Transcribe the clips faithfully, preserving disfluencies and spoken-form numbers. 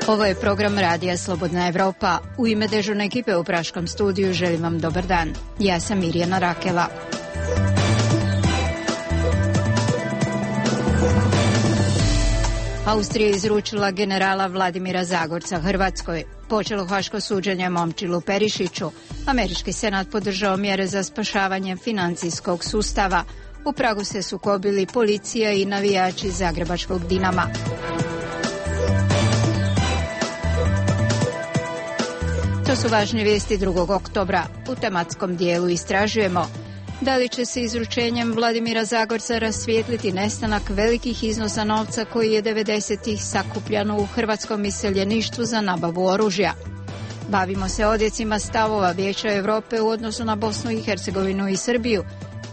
Ovo je program Radija Slobodna Evropa. U ime dežurne ekipe u Praškom studiju želim vam dobar dan. Ja sam Mirjana Rakela. Austrija je izručila generala Vladimira Zagorca Hrvatskoj. Počelo haško suđenje Momčilu Perišiću. Američki senat podržao mjere za spašavanje financijskog sustava. U Pragu se sukobili policija i navijači zagrebačkog Dinama. To su važne vijesti drugog oktobra. U tematskom dijelu istražujemo da li će se izručenjem Vladimira Zagorca rasvijetliti nestanak velikih iznosa novca koji je devedesetih sakupljano u hrvatskom iseljeništvu za nabavu oružja. Bavimo se odjecima stavova Vijeća Europe u odnosu na Bosnu i Hercegovinu i Srbiju,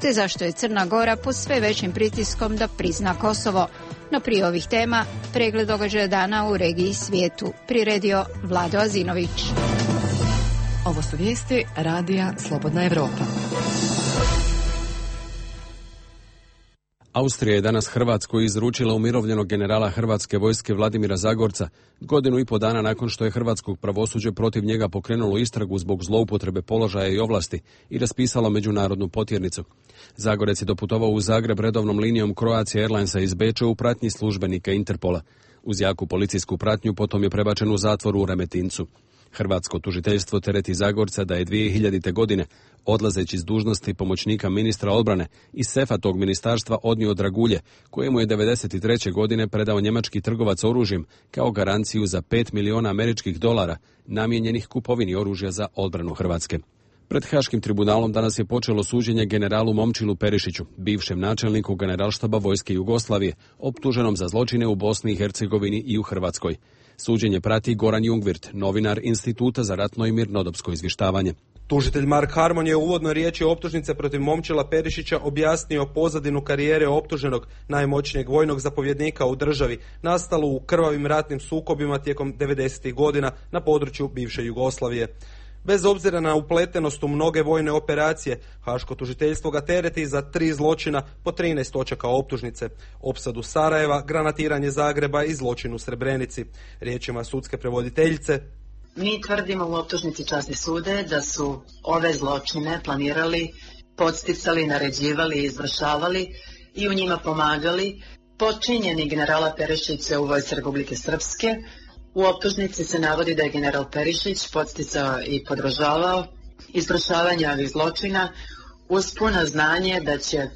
te zašto je Crna Gora pod sve većim pritiskom da prizna Kosovo. No prije ovih tema, pregled događaja dana u regiji i svijetu. Priredio Vlado Azinović. Ovo su vijesti Radija Slobodna Evropa. Austrija je danas Hrvatskoj izručila umirovljenog generala hrvatske vojske Vladimira Zagorca, godinu i po dana nakon što je hrvatskog pravosuđe protiv njega pokrenulo istragu zbog zloupotrebe položaja i ovlasti i raspisalo međunarodnu potjernicu. Zagorec je doputovao u Zagreb redovnom linijom Croatia Airlinesa iz Beča u pratnji službenika Interpola. Uz jaku policijsku pratnju potom je prebačen u zatvor u Remetincu. Hrvatsko tužiteljstvo tereti Zagorca da je dvije hiljadite. godine, odlazeći s dužnosti pomoćnika ministra odbrane, iz sefa tog ministarstva odnio dragulje, kojemu je devedeset treće. godine predao njemački trgovac oružjem kao garanciju za pet miliona američkih dolara namijenjenih kupovini oružja za odbranu Hrvatske. Pred Haškim tribunalom danas je počelo suđenje generalu Momčilu Perišiću, bivšem načelniku generalštaba vojske Jugoslavije, optuženom za zločine u Bosni i Hercegovini i u Hrvatskoj. Suđenje prati Goran Jungwirth, novinar Instituta za ratno i mirnodopsko izvještavanje. Tužitelj Mark Harmon je u uvodnoj riječi optužnice protiv Momčila Perišića objasnio pozadinu karijere optuženog, najmoćnijeg vojnog zapovjednika u državi, nastalu u krvavim ratnim sukobima tijekom devedesetih. godina na području bivše Jugoslavije. Bez obzira na upletenost u mnoge vojne operacije, Haško tužiteljstvo ga tereti za tri zločina po trinaest točaka optužnice: opsadu Sarajeva, granatiranje Zagreba i zločin u Srebrenici. Riječima sudske prevoditeljice: mi tvrdimo u optužnici časni sude da su ove zločine planirali, podsticali, naređivali i izvršavali i u njima pomagali počinjeni generala Perišića u vojsci Republike Srpske. U optužnici se navodi da je general Perišić podsticao i podržavao izvršavanje ovih zločina uz puno znanje da će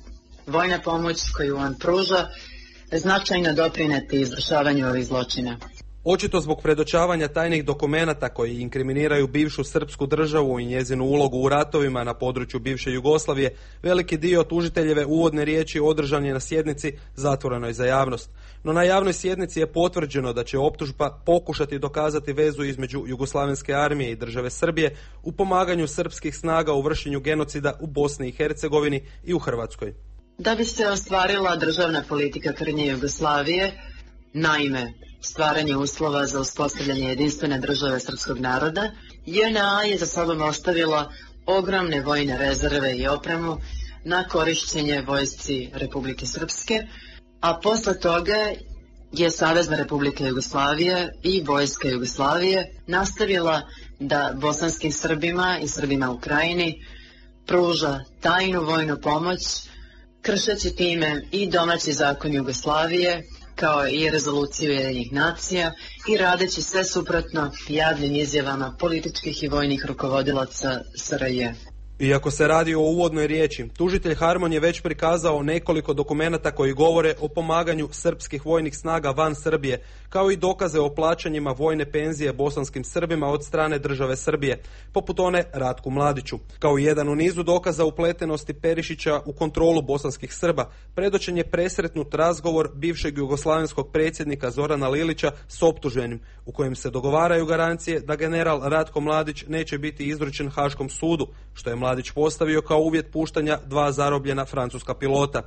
vojna pomoć koju on pruža značajno doprineti izvršavanju ovih zločina. Očito zbog predočavanja tajnih dokumenata koji inkriminiraju bivšu srpsku državu i njezinu ulogu u ratovima na području bivše Jugoslavije, veliki dio tužiteljeve uvodne riječi održan je na sjednici zatvorenoj za javnost. No na javnoj sjednici je potvrđeno da će optužba pokušati dokazati vezu između Jugoslavenske armije i države Srbije u pomaganju srpskih snaga u vršenju genocida u Bosni i Hercegovini i u Hrvatskoj. Da bi se ostvarila državna politika krnje Jugoslavije, naime stvaranje uslova za uspostavljanje jedinstvene države srpskog naroda, J N A je za sobom ostavila ogromne vojne rezerve i opremu na korišćenje vojsci Republike Srpske, a posle toga je Savezna Republika Jugoslavije i vojska Jugoslavije nastavila da bosanskim Srbima i Srbima u Krajini pruža tajnu vojnu pomoć, kršeći time i domaći zakon Jugoslavije, kao i rezoluciju Ujedinjenih nacija, i radeći sve suprotno javnim izjavama političkih i vojnih rukovodilaca S R J. Iako se radi o uvodnoj riječi, tužitelj Harmon je već prikazao nekoliko dokumenata koji govore o pomaganju srpskih vojnih snaga van Srbije, kao i dokaze o plaćanjima vojne penzije bosanskim Srbima od strane države Srbije, poput one Ratku Mladiću. Kao jedan u nizu dokaza upletenosti Perišića u kontrolu bosanskih Srba, predočen je presretnut razgovor bivšeg jugoslavenskog predsjednika Zorana Lilića s optuženim, u kojem se dogovaraju garancije da general Ratko Mladić neće biti izručen Haškom sudu, što je Mladić postavio kao uvjet puštanja dva zarobljena francuska pilota.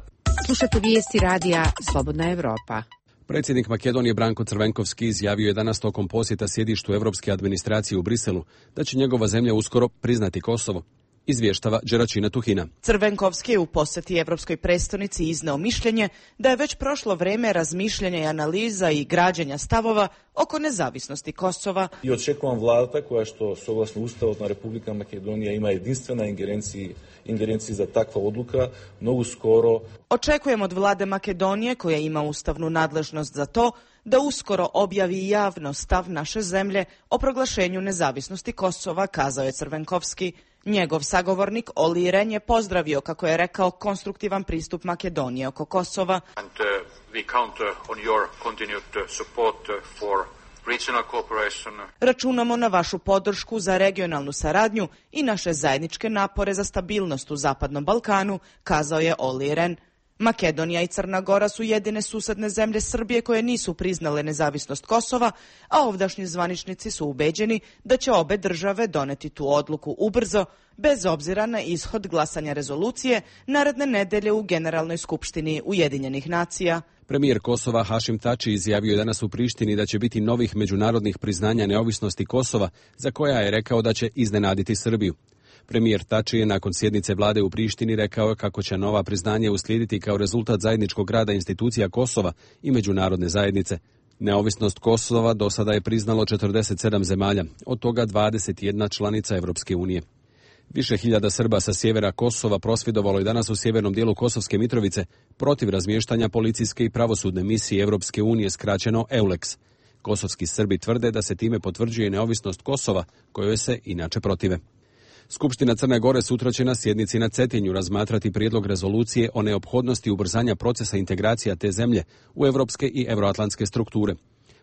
Slušate vijesti Radija Slobodna Evropa. Predsjednik Makedonije Branko Crvenkovski izjavio je danas tokom posjeta sjedištu Europske administracije u Briselu da će njegova zemlja uskoro priznati Kosovo. Izvještava Đeračina Tuhina. Crvenkovski je u posjeti Evropskoj prestonici izneo mišljenje da je već prošlo vrijeme razmišljanja i analiza i građenja stavova oko nezavisnosti Kosova. I očekujem vlada koja što soglasno Ustavu na Republika Makedonija ima jedinstvena ingerenciji, ingerenciji za takva odluka, mnogo skoro. Očekujem od vlade Makedonije, koja ima ustavnu nadležnost za to, da uskoro objavi javno stav naše zemlje o proglašenju nezavisnosti Kosova, kazao je Crvenkovski. Njegov sagovornik Olli Rehn je pozdravio, kako je rekao, konstruktivan pristup Makedonije oko Kosova. And, uh, we count on your continued support for regional cooperation. Računamo na vašu podršku za regionalnu saradnju i naše zajedničke napore za stabilnost u Zapadnom Balkanu, kazao je Olli Rehn. Makedonija i Crna Gora su jedine susedne zemlje Srbije koje nisu priznale nezavisnost Kosova, a ovdašnji zvaničnici su ubeđeni da će obe države doneti tu odluku ubrzo, bez obzira na ishod glasanja rezolucije naredne nedelje u Generalnoj skupštini Ujedinjenih nacija. Premijer Kosova Hašim Tači izjavio je danas u Prištini da će biti novih međunarodnih priznanja neovisnosti Kosova, za koja je rekao da će iznenaditi Srbiju. Premijer Tači je nakon sjednice vlade u Prištini rekao kako će nova priznanja uslijediti kao rezultat zajedničkog rada institucija Kosova i međunarodne zajednice. Neovisnost Kosova do sada je priznalo četrdeset sedam zemalja, od toga dvadeset jedna članica Evropske unije. Više hiljada Srba sa sjevera Kosova prosvjedovalo je danas u sjevernom dijelu Kosovske Mitrovice protiv razmještanja policijske i pravosudne misije Evropske unije, skraćeno EULEX. Kosovski Srbi tvrde da se time potvrđuje neovisnost Kosova, kojoj se inače protive. Skupština Crne Gore sutra će na sjednici na Cetinju razmatrati prijedlog rezolucije o neophodnosti ubrzanja procesa integracija te zemlje u evropske i euroatlantske strukture.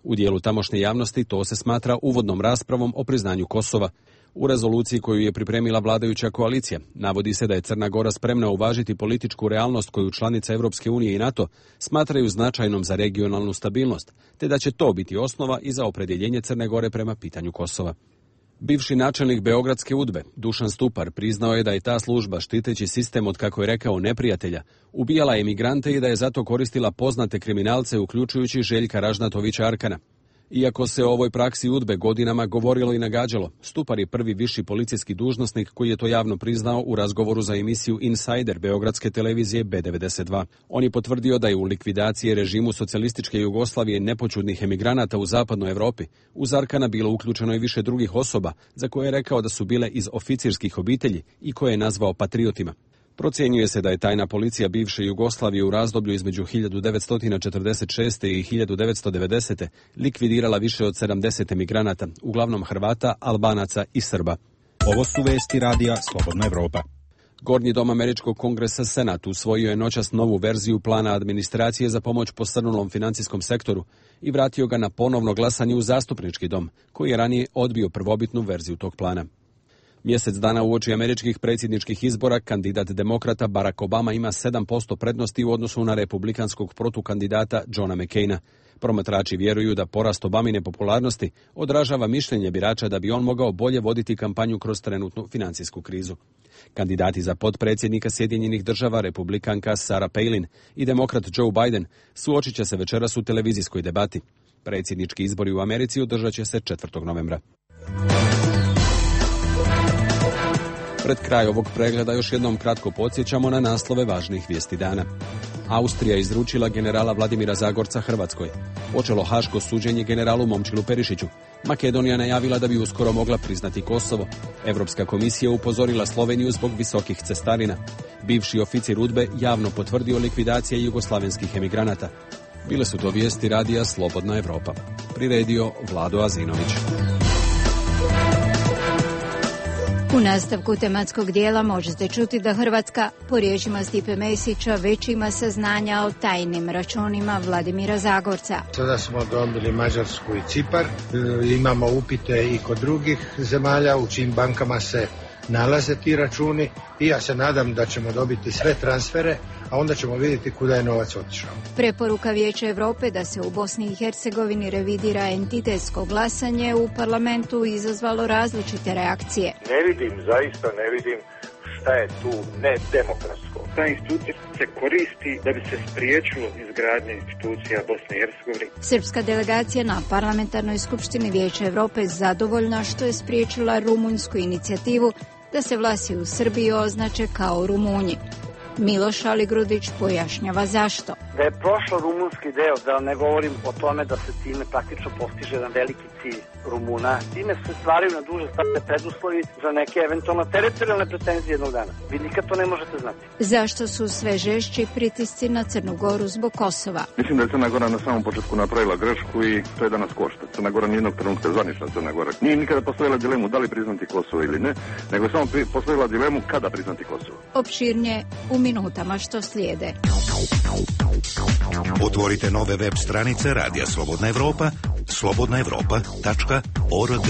U dijelu tamošnje javnosti to se smatra uvodnom raspravom o priznanju Kosova. U rezoluciji koju je pripremila vladajuća koalicija navodi se da je Crna Gora spremna uvažiti političku realnost koju članice Evropske unije i NATO smatraju značajnom za regionalnu stabilnost, te da će to biti osnova i za opredjeljenje Crne Gore prema pitanju Kosova. Bivši načelnik Beogradske udbe, Dušan Stupar, priznao je da je ta služba, štiteći sistem od, kako je rekao, neprijatelja, ubijala emigrante i da je zato koristila poznate kriminalce, uključujući Željka Ražnatovića Arkana. Iako se o ovoj praksi udbe godinama govorilo i nagađalo, Stupar je prvi viši policijski dužnosnik koji je to javno priznao u razgovoru za emisiju Insider beogradske televizije B devedeset dva. On je potvrdio da je u likvidaciji režimu socijalističke Jugoslavije nepočudnih emigranata u zapadnoj Europi uz Arkana bilo uključeno i više drugih osoba za koje je rekao da su bile iz oficirskih obitelji i koje je nazvao patriotima. Procjenjuje se da je tajna policija bivše Jugoslavije u razdoblju između hiljadu devetsto četrdeset šeste. i hiljadu devetsto devedesete. likvidirala više od sedamdeset emigranata, uglavnom Hrvata, Albanaca i Srba. Ovo su vesti radija Slobodna Evropa. Gornji dom Američkog kongresa Senat usvojio je noćas novu verziju plana administracije za pomoć posrnulom financijskom sektoru i vratio ga na ponovno glasanje u zastupnički dom, koji je ranije odbio prvobitnu verziju tog plana. Mjesec dana uoči američkih predsjedničkih izbora kandidat demokrata Barack Obama ima sedam posto prednosti u odnosu na republikanskog protukandidata Johna McCaina. Promatrači vjeruju da porast Obamine popularnosti odražava mišljenje birača da bi on mogao bolje voditi kampanju kroz trenutnu financijsku krizu. Kandidati za potpredsjednika Sjedinjenih država, republikanka Sarah Palin i demokrat Joe Biden, suočit će se večeras u televizijskoj debati. Predsjednički izbori u Americi održat će se četvrtog novembra. Pred kraj ovog pregleda još jednom kratko podsjećamo na naslove važnih vijesti dana. Austrija izručila generala Vladimira Zagorca Hrvatskoj. Počelo haško suđenje generalu Momčilu Perišiću. Makedonija najavila da bi uskoro mogla priznati Kosovo. Europska komisija upozorila Sloveniju zbog visokih cestarina. Bivši oficir udbe javno potvrdio likvidacije jugoslavenskih emigranata. Bile su to vijesti radija Slobodna Evropa. Priredio Vlado Azinović. U nastavku tematskog dijela možete čuti da Hrvatska, po riječima Stipe Mesića, već ima saznanja o tajnim računima Vladimira Zagorca. Sada smo dobili Mađarsku i Cipar, imamo upite i kod drugih zemalja u čijim bankama se nalaze ti računi i ja se nadam da ćemo dobiti sve transfere, a onda ćemo vidjeti kuda je novac otišao. Preporuka Vijeća Europe da se u Bosni i Hercegovini revidira entitetsko glasanje u parlamentu izazvalo različite reakcije. Ne vidim, zaista ne vidim šta je tu nedemokratsko. Ta institucija se koristi da bi se spriječilo izgradnje institucija Bosne i Hercegovine. Srpska delegacija na parlamentarnoj skupštini Vijeća Europe zadovoljna što je spriječila rumunjsku inicijativu da se Vlasi u Srbiji označe kao Rumunji. Miloš Aligrudić pojašnjava zašto. Da je prošlo rumunski deo, da ne govorim o tome da se time praktično postiže jedan veliki cilj Rumuna. Time se stvaraju na duže staze preduslovi za neke eventualno teritorijalne pretenzije jednog dana. Vi nikad to ne možete znati. Zašto su sve žešći pritisci na Crnu Goru zbog Kosova? Mislim da je Crna Gora na samom početku napravila grešku i to je danas košta. Crna Gora nijednog trenutka, zvanična Crna Gora, nije nikada postavila dilemu da li priznati Kosovo ili ne, nego je samo postavila dilemu kada priznati Kosovo. Opširnije u minutama što slijede. Otvorite nove web stranice Radija Slobodna Evropa, slobodna evropa tačka org.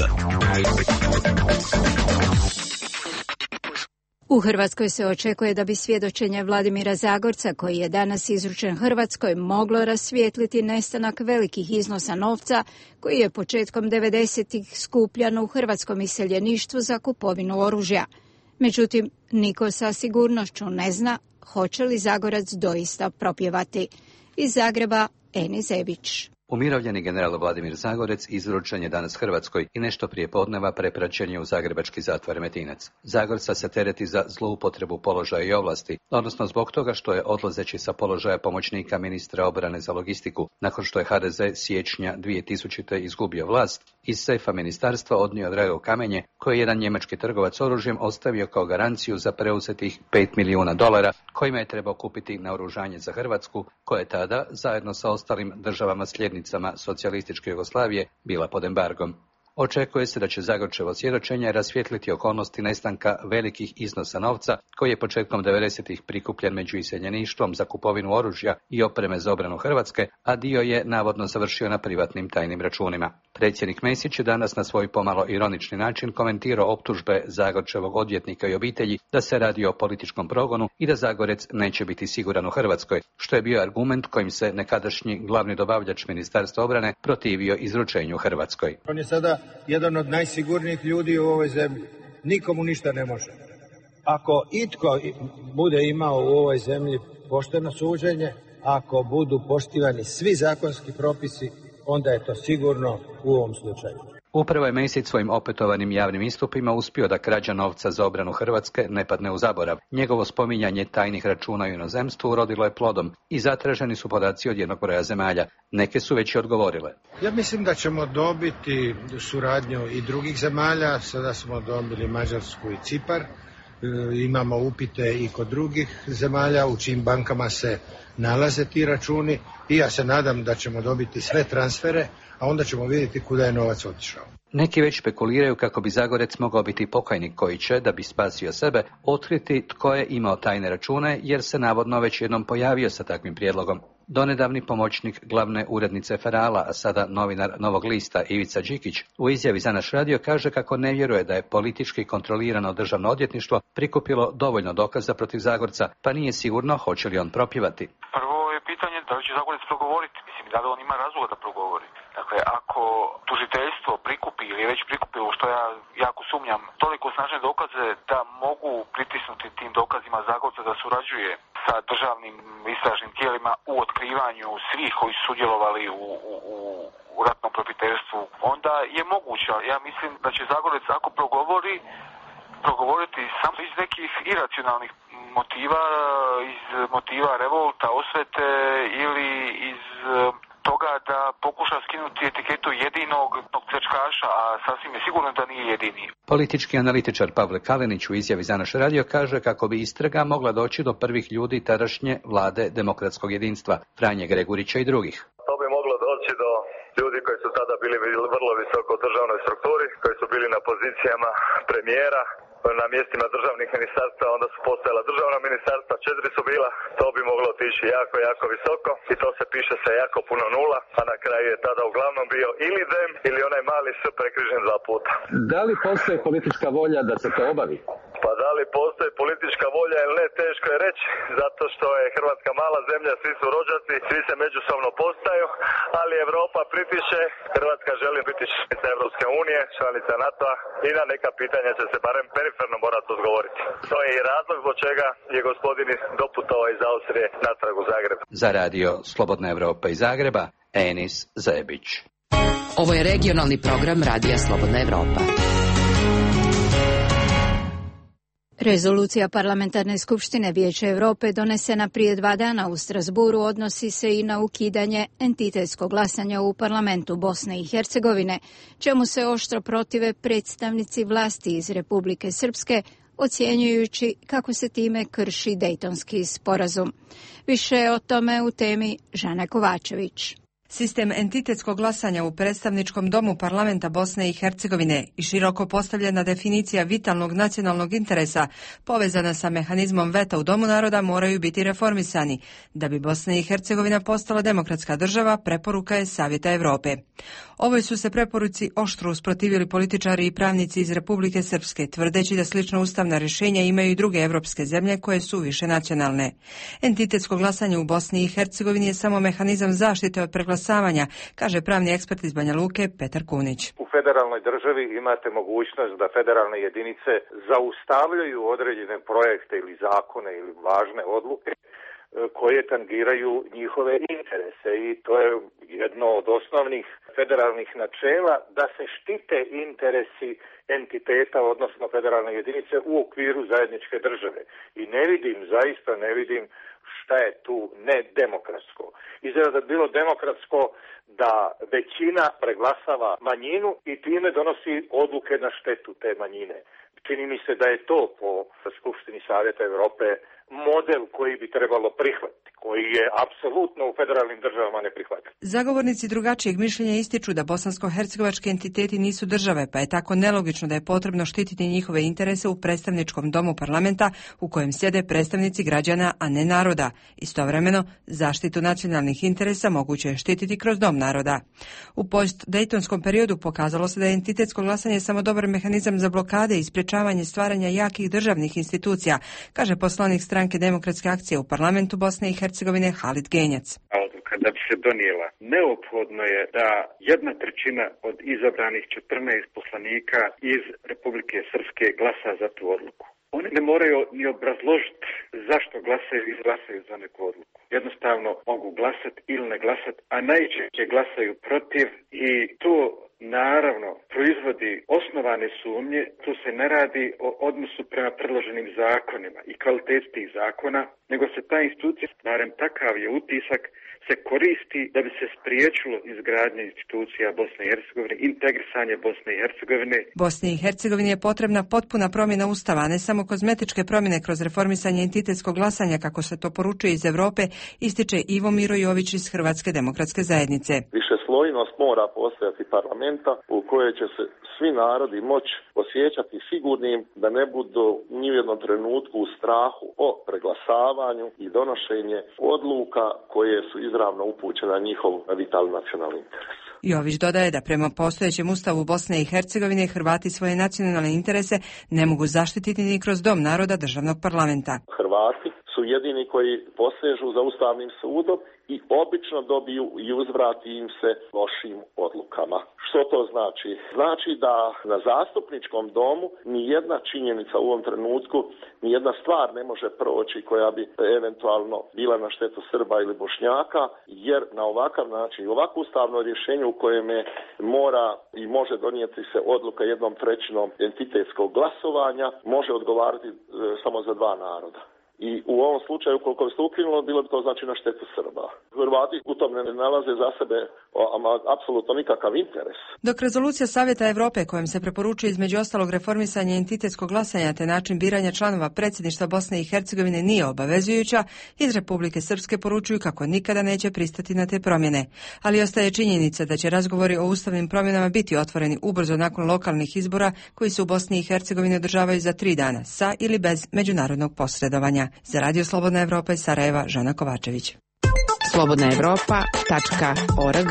U Hrvatskoj se očekuje da bi svjedočenje Vladimira Zagorca, koji je danas izručen Hrvatskoj, moglo rasvijetliti nestanak velikih iznosa novca koji je početkom devedesetih skupljan u hrvatskom iseljeništvu za kupovinu oružja. Međutim, niko sa sigurnošću ne zna hoće li Zagorac doista propjevati. Iz Zagreba, Eni Zebić. Umirovljeni general Vladimir Zagorec izručen je danas Hrvatskoj i nešto prije podneva prepraćen je u zagrebački zatvor Remetinec. Zagorca se tereti za zloupotrebu položaja i ovlasti, odnosno zbog toga što je odlazeći sa položaja pomoćnika ministra obrane za logistiku, nakon što je ha de ze siječnja dvije tisućite izgubio vlast, iz sefa ministarstva odnio drago kamenje koje je jedan njemački trgovac oružjem ostavio kao garanciju za preuzetih pet milijuna dolara kojima je trebao kupiti naoružanje za Hrvatsku, koje je tada, zajedno sa ostalim državama slijednicama socijalističke Jugoslavije, bila pod embargom. Očekuje se da će Zagorčevo svjedočenje rasvijetliti okolnosti nestanka velikih iznosa novca koji je početkom devedesetih prikupljen među iseljeništvom za kupovinu oružja i opreme za obranu Hrvatske, a dio je navodno završio na privatnim tajnim računima. Predsjednik Mesić je danas na svoj pomalo ironični način komentirao optužbe Zagorčevog odvjetnika i obitelji da se radi o političkom progonu i da Zagorec neće biti siguran u Hrvatskoj, što je bio argument kojim se nekadašnji glavni dobavljač Ministarstva obrane protivio izručenju Hrvatskoj. On je sada jedan od najsigurnijih ljudi u ovoj zemlji. Nikomu ništa ne može. Ako itko bude imao u ovoj zemlji pošteno suđenje, ako budu poštivani svi zakonski propisi, onda je to sigurno u ovom slučaju. Upravo je Mesić svojim opetovanim javnim istupima uspio da krađa novca za obranu Hrvatske ne padne u zaborav. Njegovo spominjanje tajnih računa u inozemstvu urodilo je plodom i zatraženi su podaci od jednog broja zemalja. Neke su već i odgovorile. Ja mislim da ćemo dobiti suradnju i drugih zemalja. Sada smo dobili Mađarsku i Cipar. E, imamo upite i kod drugih zemalja u čijim bankama se nalaze ti računi i ja se nadam da ćemo dobiti sve transfere, a onda ćemo vidjeti kuda je novac otišao. Neki već spekuliraju kako bi Zagorec mogao biti pokajnik koji će, da bi spasio sebe, otkriti tko je imao tajne račune, jer se navodno već jednom pojavio sa takvim prijedlogom. Donedavni pomoćnik glavne urednice Ferala, a sada novinar Novog lista Ivica Đikić, u izjavi za naš radio kaže kako ne vjeruje da je politički kontrolirano državno odvjetništvo prikupilo dovoljno dokaza protiv Zagorca, pa nije sigurno hoće li on propjevati. Prvo je pitanje da li će Zagorec progovoriti, mislim da li on ima razloga da progovori. Dakle, ako tužiteljstvo prikupi ili je već prikupilo, što ja jako sumnjam, toliko snažne dokaze da mogu pritisnuti tim dokazima Zagorca da surađuje sa državnim istražnim tijelima u otkrivanju svih koji su sudjelovali u, u, u ratnom profiterstvu, onda je moguće. Ja mislim da će Zagorec, ako progovori, progovoriti samo iz nekih iracionalnih motiva, iz motiva revolta, osvete ili iz toga da pokuša skinuti etiketu jedinog pljačkaša, a sasvim je sigurno da nije jedini. Politički analitičar Pavle Kalenić u izjavi za naš radio kaže kako bi istraga mogla doći do prvih ljudi tadašnje vlade demokratskog jedinstva, Franje Gregurića i drugih. To bi moglo doći do ljudi koji su tada bili vrlo visoko u državnoj strukturi, koji su bili na pozicijama premijera, na mjestima državnih ministarstva, onda su postojala državna ministarstva, četiri su bila, to bi moglo otići jako, jako visoko i to se piše sa jako puno nula, a na kraju je tada uglavnom bio ili dem ili onaj mali s prekrižen dva puta. Da li postoji politička volja da se to obavi? Pa da li postoji politička volja ili ne, teško je reći, zato što je Hrvatska mala zemlja, svi su rođaci, svi se međusobno postaju, ali Europa pritiše, Hrvatska želi biti članica Evropske unije, članica NATO-a i na neka pitanja će se barem periferno morati odgovoriti. To je i razlog zbog čega je gospodin doputovao iz Austrije natrag u Zagreb. Za radio Slobodna Evropa iz Zagreba, Enis Zebić. Ovo je regionalni program Radija Slobodna Evropa. Rezolucija Parlamentarne skupštine Vijeća Europe donesena prije dva dana u Strasburu odnosi se i na ukidanje entitetskog glasanja u parlamentu Bosne i Hercegovine, čemu se oštro protive predstavnici vlasti iz Republike Srpske, ocjenjujući kako se time krši Dejtonski sporazum. Više o tome u temi Žana Kovačević. Sistem entitetskog glasanja u predstavničkom domu parlamenta Bosne i Hercegovine i široko postavljena definicija vitalnog nacionalnog interesa povezana sa mehanizmom veta u Domu naroda moraju biti reformisani. Da bi Bosna i Hercegovina postala demokratska država, preporuka je Savjeta Europe. Ovoj su se preporuci oštro usprotivili političari i pravnici iz Republike Srpske, tvrdeći da slično ustavna rješenja imaju i druge evropske zemlje koje su više nacionalne. Entitetsko glasanje u Bosni i Hercegovini je samo mehanizam zaštite od preglasavanja, kaže pravni ekspert iz Banja Luke Petar Kunić. U federalnoj državi imate mogućnost da federalne jedinice zaustavljaju određene projekte ili zakone ili važne odluke koje tangiraju njihove interese i to je jedno od osnovnih federalnih načela da se štite interesi entiteta, odnosno federalne jedinice u okviru zajedničke države. I ne vidim, zaista ne vidim šta je tu nedemokratsko. Izgleda da bi bilo demokratsko da većina preglasava manjinu i time donosi odluke na štetu te manjine. Čini mi se da je to po Skupštini Savjeta Europe model koji bi trebalo prihvatiti, koji je apsolutno u federalnim državama neprihvatljiv. Zagovornici drugačijeg mišljenja ističu da bosansko-hercegovački entiteti nisu države, pa je tako nelogično da je potrebno štititi njihove interese u predstavničkom domu parlamenta u kojem sjede predstavnici građana, a ne naroda. Istovremeno, zaštitu nacionalnih interesa moguće je štititi kroz dom naroda. U post-dejtonskom periodu pokazalo se da je entitetsko glasanje samo dobar mehanizam za blokade i sprječavanje stvaranja jakih državnih institucija, kaže poslanik stranke Demokratske akcije u parlamentu Bosne i Hercegovine Halid Genjac. Odluka da bi se donijela, neophodno je da jedna trećina od izabranih četrnaest poslanika iz Republike Srpske glasa za tu odluku. Oni ne moraju ni obrazložiti zašto glasaju i glasaju za neku odluku. Jednostavno mogu glasati ili ne glasati, a najčešće glasaju protiv i to naravno proizvodi osnovane sumnje. Tu se ne radi o odnosu prema predloženim zakonima i kvaliteti tih zakona, nego se ta institucija, barem takav je utisak, se koristi da bi se spriječilo izgradnje institucija Bosne i Hercegovine, integrisanje Bosne i Hercegovine. Bosni i Hercegovini je potrebna potpuna promjena ustava, a ne samo kozmetičke promjene kroz reformisanje entitetskog glasanja, kako se to poručuje iz Europe, ističe Ivo Miro Jović iz Hrvatske demokratske zajednice. Višeslojnost mora postojati parlamenta u kojoj će se svi narodi moći osjećati sigurnim da ne budu ni u jednom trenutku u strahu o preglasavanju i donošenje odluka koje su izravno upućene na njihov vitalni nacionalni interes. Jović dodaje da prema postojećem ustavu Bosne i Hercegovine Hrvati svoje nacionalne interese ne mogu zaštititi ni kroz dom naroda državnog parlamenta. Hrvati su jedini koji posežu za ustavnim sudom i obično dobiju i uzvrati im se lošim odlukama. Što to znači? Znači da na zastupničkom domu ni jedna činjenica u ovom trenutku, ni jedna stvar ne može proći koja bi eventualno bila na štetu Srba ili Bošnjaka, jer na ovakav način i ovako ustavno rješenje u kojem mora i može donijeti se odluka jednom trećinom entitetskog glasovanja, može odgovarati e, samo za dva naroda. I u ovom slučaju, koliko bi se ukinulo, bilo bi to znači na štetu Srba. Hrvati u tom ne nalaze za sebe ama, apsolutno nikakav interes. Dok rezolucija Savjeta Europe kojom se preporučuje između ostalog reformisanje entitetskog glasanja te način biranja članova predsjedništva Bosne i Hercegovine nije obavezujuća, iz Republike Srpske poručuju kako nikada neće pristati na te promjene. Ali ostaje činjenica da će razgovori o ustavnim promjenama biti otvoreni ubrzo nakon lokalnih izbora koji se u Bosni i Hercegovini održavaju za tri dana, sa ili bez međunarodnog posredovanja. Za Radio Slobodna Evropa iz Sarajeva, Žana Kovačević. slobodna evropa tačka org.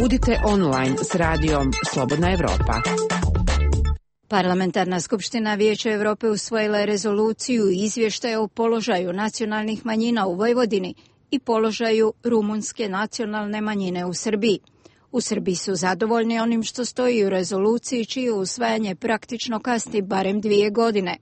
Budite online s radijom Slobodna Evropa. Parlamentarna skupština Vijeća Europe usvojila je rezoluciju i izvještaj o položaju nacionalnih manjina u Vojvodini i položaju rumunske nacionalne manjine u Srbiji. U Srbiji su zadovoljni onim što stoji u rezoluciji, čije usvajanje praktično kasni barem dvije godine.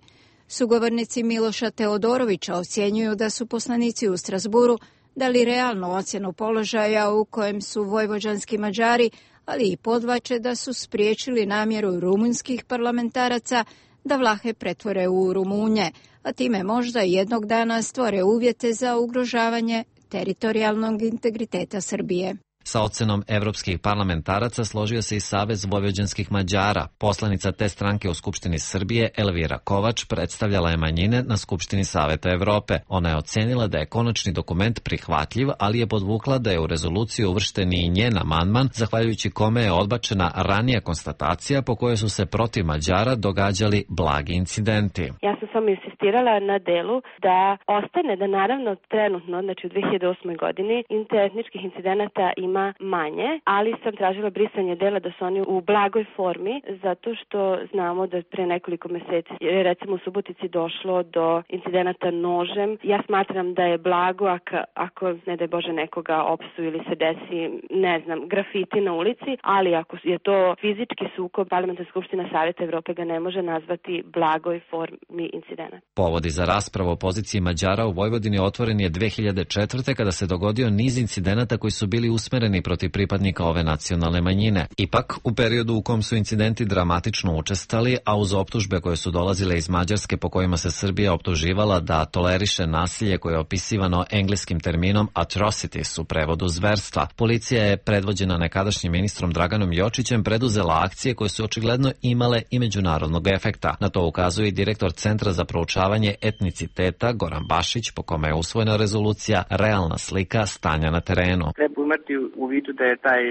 Sugovornici Miloša Teodorovića ocjenjuju da su poslanici u Strasburu dali realnu ocjenu položaja u kojem su vojvođanski Mađari, ali i podvače da su spriječili namjeru rumunskih parlamentaraca da Vlahe pretvore u Rumunje, a time možda jednog dana stvore uvjete za ugrožavanje teritorijalnog integriteta Srbije. Sa ocenom evropskih parlamentaraca složio se i Savez vojvođanskih Mađara. Poslanica te stranke u Skupštini Srbije, Elvira Kovač, predstavljala je manjine na Skupštini Saveta Evrope. Ona je ocenila da je konačni dokument prihvatljiv, ali je podvukla da je u rezoluciju uvršten i njen amandman, zahvaljujući kome je odbačena ranija konstatacija po kojoj su se protiv Mađara događali blagi incidenti. Ja sam samo insistirala na delu da ostane da naravno trenutno, znači u dve hiljade osmoj godini, interetničkih incidenata ima manje, ali sam tražila brisanje dela da su oni u blagoj formi, zato što znamo da pre nekoliko meseci, recimo u Subotici, došlo do incidenata nožem. Ja smatram da je blago ako, ako ne daj Bože nekoga opsu ili se desi, ne znam, grafiti na ulici, ali ako je to fizički sukob, Parlamentarna skupština Saveta Evrope ga ne može nazvati blagoj formi incidenata. Povodi za raspravu o poziciji Mađara u Vojvodini otvoren je dve hiljade četvrte kada se dogodio niz incidenata koji su bili usmereni protiv pripadnika ove nacionalne manjine. Ipak, u periodu u kom su incidenti dramatično učestali, a uz optužbe koje su dolazile iz Mađarske po kojima se Srbija optuživala da toleriše nasilje koje je opisivano engleskim terminom atrocities u prevodu zverstva, policija je predvođena nekadašnjim ministrom Draganom Jočićem preduzela akcije koje su očigledno imale i međunarodnog efekta. Na to ukazuje i direktor Centra za proučavanje etniciteta Goran Bašić, po kome je usvojena rezolucija Realna slika stanja na terenu. Treba imati u vidu da je taj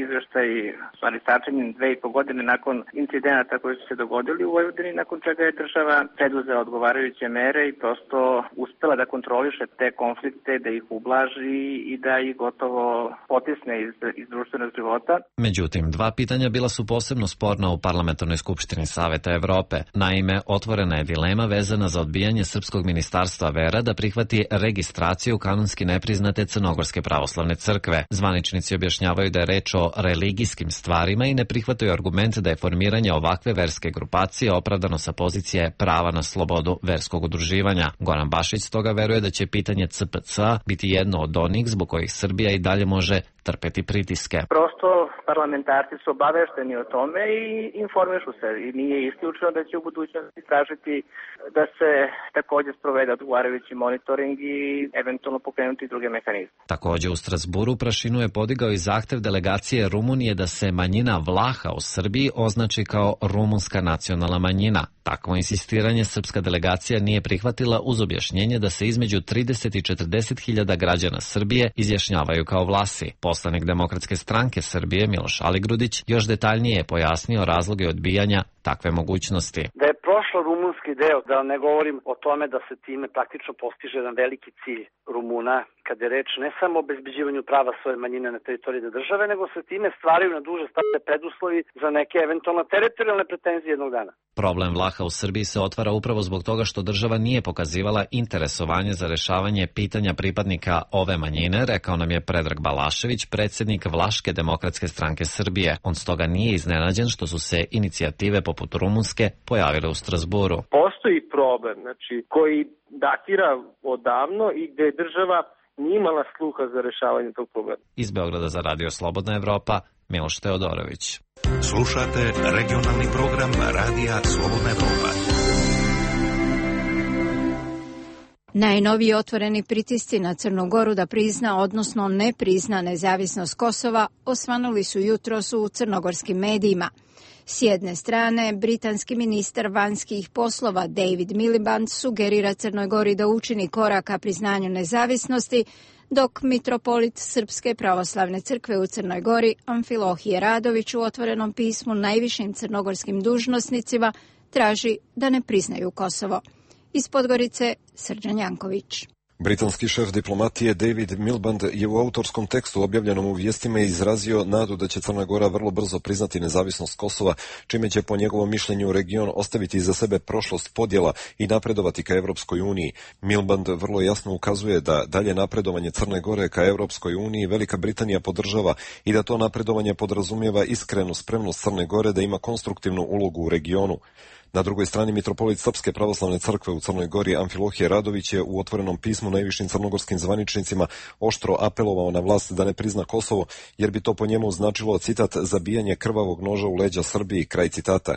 izveštaj stvari sačinjen dve i po godine nakon incidenata koji su se dogodili u Vojvodini, nakon čega je država preduzela odgovarajuće mere i prosto uspela da kontroliše te konflikte, da ih ublaži i da ih gotovo potisne iz, iz društvenog života. Međutim, dva pitanja bila su posebno sporna u Parlamentarnoj skupštini Saveta Evrope. Naime, otvorena je dilema vezana za odbijanje Srpskog ministarstva vera da prihvati registraciju kanonski nepriznate Crnogorske pravoslavne crkve. Zvaničnici objašnjavaju da je reč o religijskim stvarima i ne prihvataju argument da je formiranje ovakve verske grupacije opravdano sa pozicije prava na slobodu verskog udruživanja. Goran Bašić stoga veruje da će pitanje C P C biti jedno od onih zbog kojih Srbija i dalje može trpeti pritiske. Prosto parlamentarci su obavešteni o tome i informišu se i nije isključeno da će u budućnosti tražiti da se također sprovede odgovarajući monitoring i eventualno pokrenuti druge mehanizme. Također u Strasburu prašinu je podigao i zahtev delegacije Rumunije da se manjina Vlaha u Srbiji označi kao rumunska nacionalna manjina. Takvo insistiranje srpska delegacija nije prihvatila uz objašnjenje da se između trideset i četrdeset hiljada građana Srbije izjašnjavaju kao Vlasi. Poslanik Demokratske stranke Srbije Miloš Aligrudić još detaljnije je pojasnio razloge odbijanja takve mogućnosti. Da je prošlo rumunski deo, da ne govorim o tome da se time praktično postiže jedan veliki cilj Rumuna, kad je reč ne samo o obezbeđivanju prava svoje manjine na teritoriji države, nego se time stvaraju na duže staze preduslovi za neke eventualno teritorijalne pretenzije jednog dana. Problem Vlaha u Srbiji se otvara upravo zbog toga što država nije pokazivala interesovanje za rešavanje pitanja pripadnika ove manjine, rekao nam je Predrag Balašević, predsjednik Vlaške demokratske stranke Srbije. On stoga nije iznenađen što su se inicijative poput rumunske pojavile u Strasburu. Postoji problem, znači, koji datira odavno i gde je država nije imala sluha za rešavanje tog problema. Iz Beograda za Radio Slobodna Evropa, Miloš Teodorović. Slušate regionalni program Radija Slobodna Evropa. Najnoviji otvoreni pritisci na Crnu Goru da prizna, odnosno ne prizna nezavisnost Kosova, osvanuli su jutros u crnogorskim medijima. S jedne strane, britanski ministar vanjskih poslova David Miliband sugerira Crnoj Gori da učini korak ka priznanju nezavisnosti, dok mitropolit Srpske pravoslavne crkve u Crnoj Gori Amfilohije Radović u otvorenom pismu najvišim crnogorskim dužnosnicima traži da ne priznaju Kosovo. Iz Podgorice, Srđan Janković. Britanski šef diplomatije David Miliband je u autorskom tekstu objavljenom u vijestima izrazio nadu da će Crna Gora vrlo brzo priznati nezavisnost Kosova, čime će po njegovom mišljenju region ostaviti iza sebe prošlost podjela i napredovati ka Evropskoj uniji. Miliband vrlo jasno ukazuje da dalje napredovanje Crne Gore ka Evropskoj uniji Velika Britanija podržava i da to napredovanje podrazumijeva iskrenu spremnost Crne Gore da ima konstruktivnu ulogu u regionu. Na drugoj strani mitropolit Srpske pravoslavne crkve u Crnoj Gori Amfilohije Radović je u otvorenom pismu najvišim crnogorskim zvaničnicima oštro apelovao na vlast da ne prizna Kosovo, jer bi to po njemu značilo, citat, zabijanje krvavog noža u leđa Srbiji, kraj citata.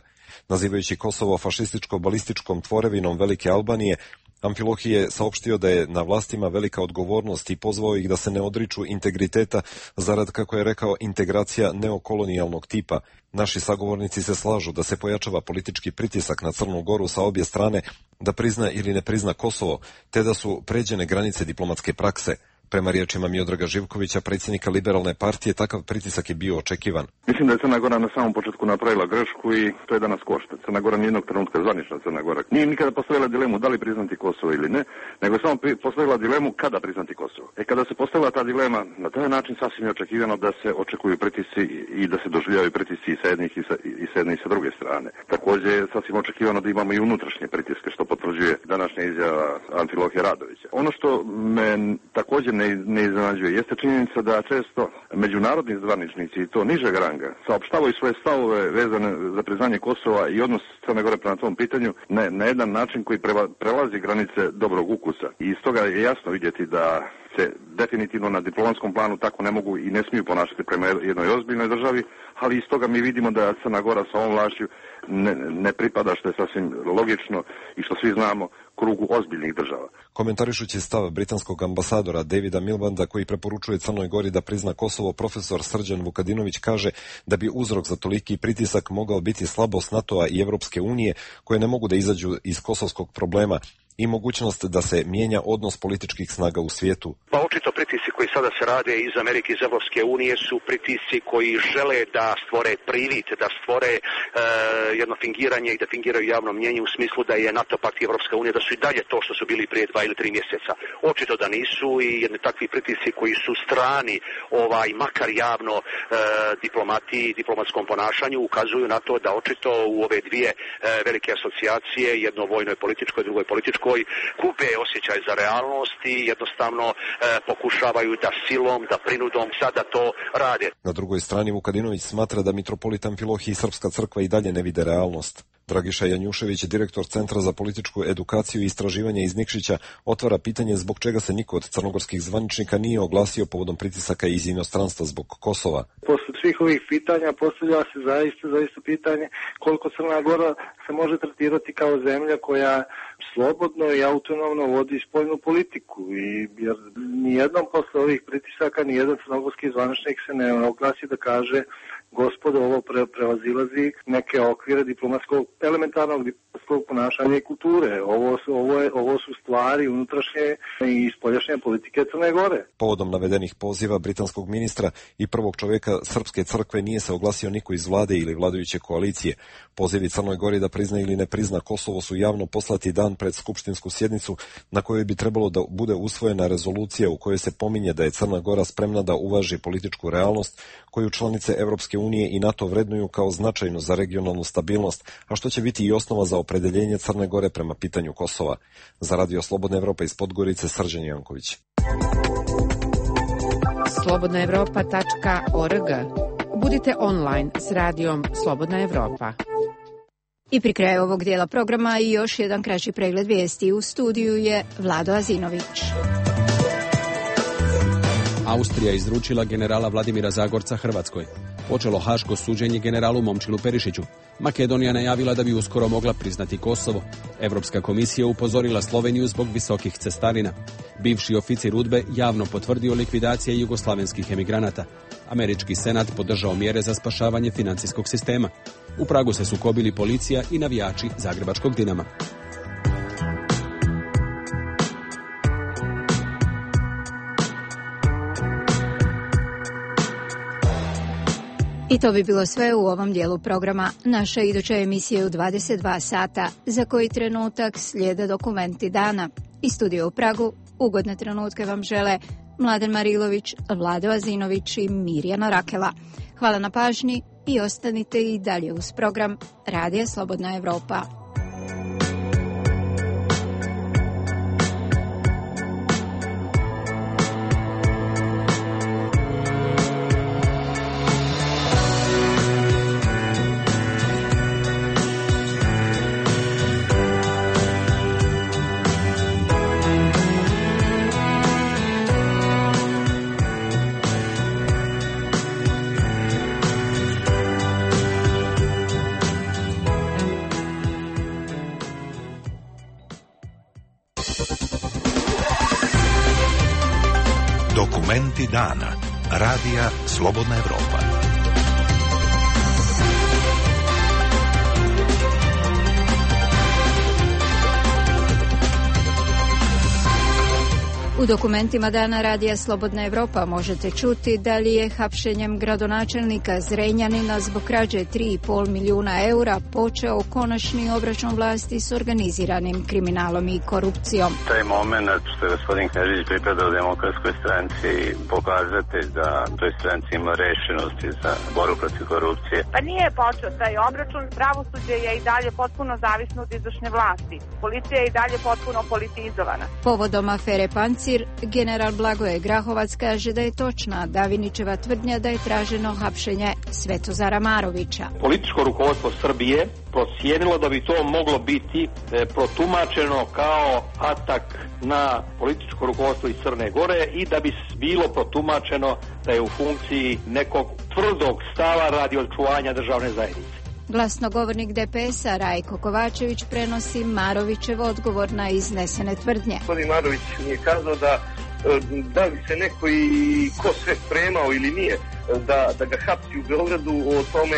Nazivajući Kosovo fašističko-balističkom tvorevinom Velike Albanije, Amfilohije je saopštio da je na vlastima velika odgovornost i pozvao ih da se ne odriču integriteta zarad, kako je rekao, integracija neokolonijalnog tipa. Naši sagovornici se slažu da se pojačava politički pritisak na Crnu Goru sa obje strane da prizna ili ne prizna Kosovo, te da su pređene granice diplomatske prakse. Prema riječima Miodraga Živkovića, predsjednika Liberalne partije, takav pritisak je bio očekivan. Mislim da je Crna Gora na samom početku napravila grešku i to je danas košta. Crna Gora nijednog trenutka, zvanična Crna Gora, nije nikada postavila dilemu da li priznati Kosovo ili ne, nego je samo postavila dilemu kada priznati Kosovo. E kada se postavila ta dilema, na taj način sasvim je očekivano da se očekuju pritisci i da se doživljavaju pritisci i sa jednih i sa, i sa jedne i sa druge strane. Također je sasvim očekivano da imamo i unutrašnje pritiske, što potvrđuje današnja izjava Amfilohije Radovića. Ono što me također ne, ne iznenađuje jeste činjenica da često međunarodni zvaničnici i to nižeg ranga saopštavaju svoje stavove vezane za priznanje Kosova i odnos Crne Gore prema tom pitanju na, na jedan način koji preva, prelazi granice dobrog ukusa. I iz toga je jasno vidjeti da se definitivno na diplomatskom planu tako ne mogu i ne smiju ponašati prema jednoj ozbiljnoj državi, ali iz toga mi vidimo da Crna Gora sa ovom vlašću ne, ne pripada, što je sasvim logično i što svi znamo, krugu ozbiljnih država. Komentarišući stav britanskog ambasadora Davida Milbanda, koji preporučuje Crnoj Gori da prizna Kosovo, profesor Srđan Vukadinović kaže da bi uzrok za toliki pritisak mogao biti slabost NATO-a i Evropske unije, koje ne mogu da izađu iz kosovskog problema, i mogućnost da se mijenja odnos političkih snaga u svijetu. Pa očito pritisci koji sada se rade iz Amerike, iz Evropske unije su pritisci koji žele da stvore privid, da stvore e, jedno fingiranje i da fingiraju javno mnjenje u smislu da je NATO pakt i Evropska unija da su i dalje to što su bili prije dva ili tri mjeseca. Očito da nisu i jedni takvi pritisci koji su strani, ovaj makar javno e, diplomatiji, diplomatskom ponašanju ukazuju na to da očito u ove dvije e, velike asocijacije, jedno vojnoj političkoj, drugoj političkoj, kupe osjećaj za realnost i jednostavno e, pokušavaju da silom, da prinudom sada to rade. Na drugoj strani Vukadinović smatra da mitropolit Amfilohije i Srpska crkva i dalje ne vide realnost. Dragiša Janjušević, direktor Centra za političku edukaciju i istraživanje iz Nikšića, otvara pitanje zbog čega se niko od crnogorskih zvaničnika nije oglasio povodom pritisaka iz inostranstva zbog Kosova. Posle svih ovih pitanja postavlja se zaista, zaista pitanje koliko Crna Gora se može tretirati kao zemlja koja slobodno i autonomno vodi spoljnu politiku. I, jer nijednom posle ovih pritisaka nijedan crnogorski zvaničnik se ne oglasi da kaže gospodo, ovo pre, prevazilazi neke okvire diplomatskog, elementarnog diplomatskog ponašanja i kulture. Ovo su, ovo, je, ovo su stvari unutrašnje i spoljašnje politike Crne Gore. Povodom navedenih poziva britanskog ministra i prvog čovjeka Srpske crkve nije se oglasio niko iz vlade ili vladajuće koalicije. Pozivi Crnoj Gori da prizna ili ne prizna Kosovo su javno poslati dan pred skupštinsku sjednicu na kojoj bi trebalo da bude usvojena rezolucija u kojoj se pominje da je Crna Gora spremna da uvaži političku realnost koju članice Evropske unije i NATO vrednuju kao značajnu za regionalnu stabilnost, a što će biti i osnova za opredeljenje Crne Gore prema pitanju Kosova. Za Radio Slobodna Evropa iz Podgorice, Srđan Janković. slobodna evropa tačka org. Budite online s radijom Slobodna Evropa. I pri kraju ovog dijela programa i još jedan kraći pregled vijesti. U studiju je Vlado Azinović. Austrija izručila generala Vladimira Zagorca Hrvatskoj. Počelo haško suđenje generalu Momčilu Perišiću. Makedonija najavila da bi uskoro mogla priznati Kosovo. Europska komisija upozorila Sloveniju zbog visokih cestarina. Bivši oficir UDBE javno potvrdio likvidacije jugoslavenskih emigranata. Američki senat podržao mjere za spašavanje financijskog sistema. U Pragu se sukobili policija i navijači zagrebačkog Dinama. I to bi bilo sve u ovom dijelu programa. Naša iduća emisija je u dvadeset dva sata, za koji trenutak slijede dokumenti dana. Iz studija u Pragu ugodne trenutke vam žele Mladen Marilović, Vlado Azinović i Mirjana Rakela. Hvala na pažnji i ostanite i dalje uz program Radija Slobodna Evropa. Dokumenti dana. Radija Slobodna Evropa. U dokumentima dana Radija Slobodna Evropa možete čuti da li je hapšenjem gradonačelnika Zrenjanina zbog krađe tri i pol milijuna eura počeo konačni obračun vlasti s organiziranim kriminalom i korupcijom. Taj moment što je gospodin Knežević pripadao Demokratskoj stranci pokazatelj da toj stranci ima rešenosti za borbu protiv korupcije. Pa nije počeo taj obračun, pravosuđe je i dalje potpuno zavisno od izvršne vlasti. Policija je i dalje potpuno politizovana. Povodom afere Pancir, general Blagoje Grahovac kaže da je točna Davinićeva tvrdnja da je traženo hapšenje Svetozara Marovića. Političko rukovodstvo Srbije procijenilo da bi to moglo biti e, protumačeno kao atak na političko rukovodstvo iz Crne Gore i da bi bilo protumačeno da je u funkciji nekog tvrdog stava radi očuvanja državne zajednice. Glasnogovornik D P S-a Rajko Kovačević prenosi Marovićev odgovor na iznesene tvrdnje. Gospodin Marović mi je kazao da da li se neko i ko sve spremao ili nije da, da ga hapsi u Beogradu, o tome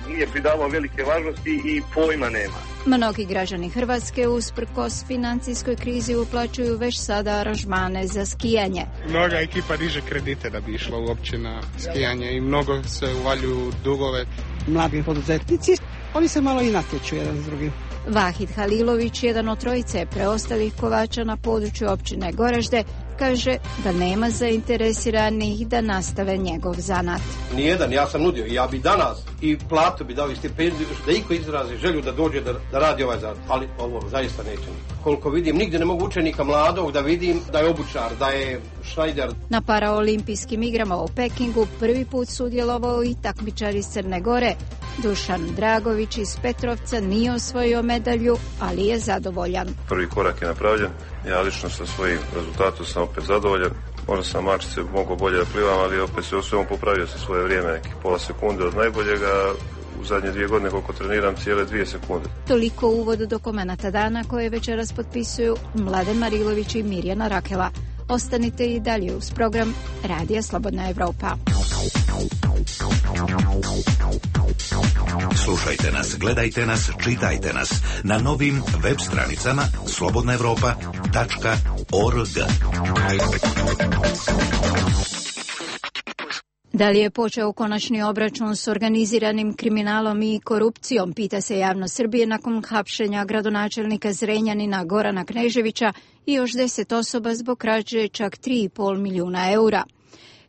nije pridavao velike važnosti i pojma nema. Mnogi građani Hrvatske usprkos financijskoj krizi uplaćuju već sada aranžmane za skijanje. Mnoga ekipa diže kredite da bi išla uopće na skijanje i mnogo se uvaljuju dugove. Mladi poduzetnici, oni se malo i natječu jedan s drugim. Vahid Halilović, jedan od trojice preostalih kovača na području općine Goražde, kaže da nema zainteresiranih da nastave njegov zanat. Nijedan, ja sam nudio i ja bi danas i platu bi dao i stipendiju da iko izrazi želju da dođe da, da radi ovaj zanat, ali ovo zaista neće. Koliko vidim, nigdje ne mogu učenika mladog da vidim da je obućar, da je šajder. Na paraolimpijskim igrama u Pekingu prvi put sudjelovao i takmičar iz Crne Gore. Dušan Dragović iz Petrovca nije osvojio medalju, ali je zadovoljan. Prvi korak je napravljen, ja lično sa svojim rezultatom sam opet zadovoljan. Možda sam mačice mogao bolje da plivam, ali opet se osvijem popravio sa svoje vrijeme, nekih pola sekunde od najboljega. U zadnje dvije godine koliko treniram cijele dvije sekunde. Toliko u uvodu dokumenata dana koje večeras potpisuju Mladen Marilović i Mirjana Rakela. Ostanite i dalje uz program Radija Slobodna Evropa. Slušajte nas, gledajte nas, čitajte nas na novim web stranicama slobodna evropa tačka org. Da li je počeo konačni obračun s organiziranim kriminalom i korupcijom, pita se javnost Srbije nakon hapšenja gradonačelnika Zrenjanina Gorana Kneževića i još deset osoba zbog krađe čak tri i pol milijuna eura.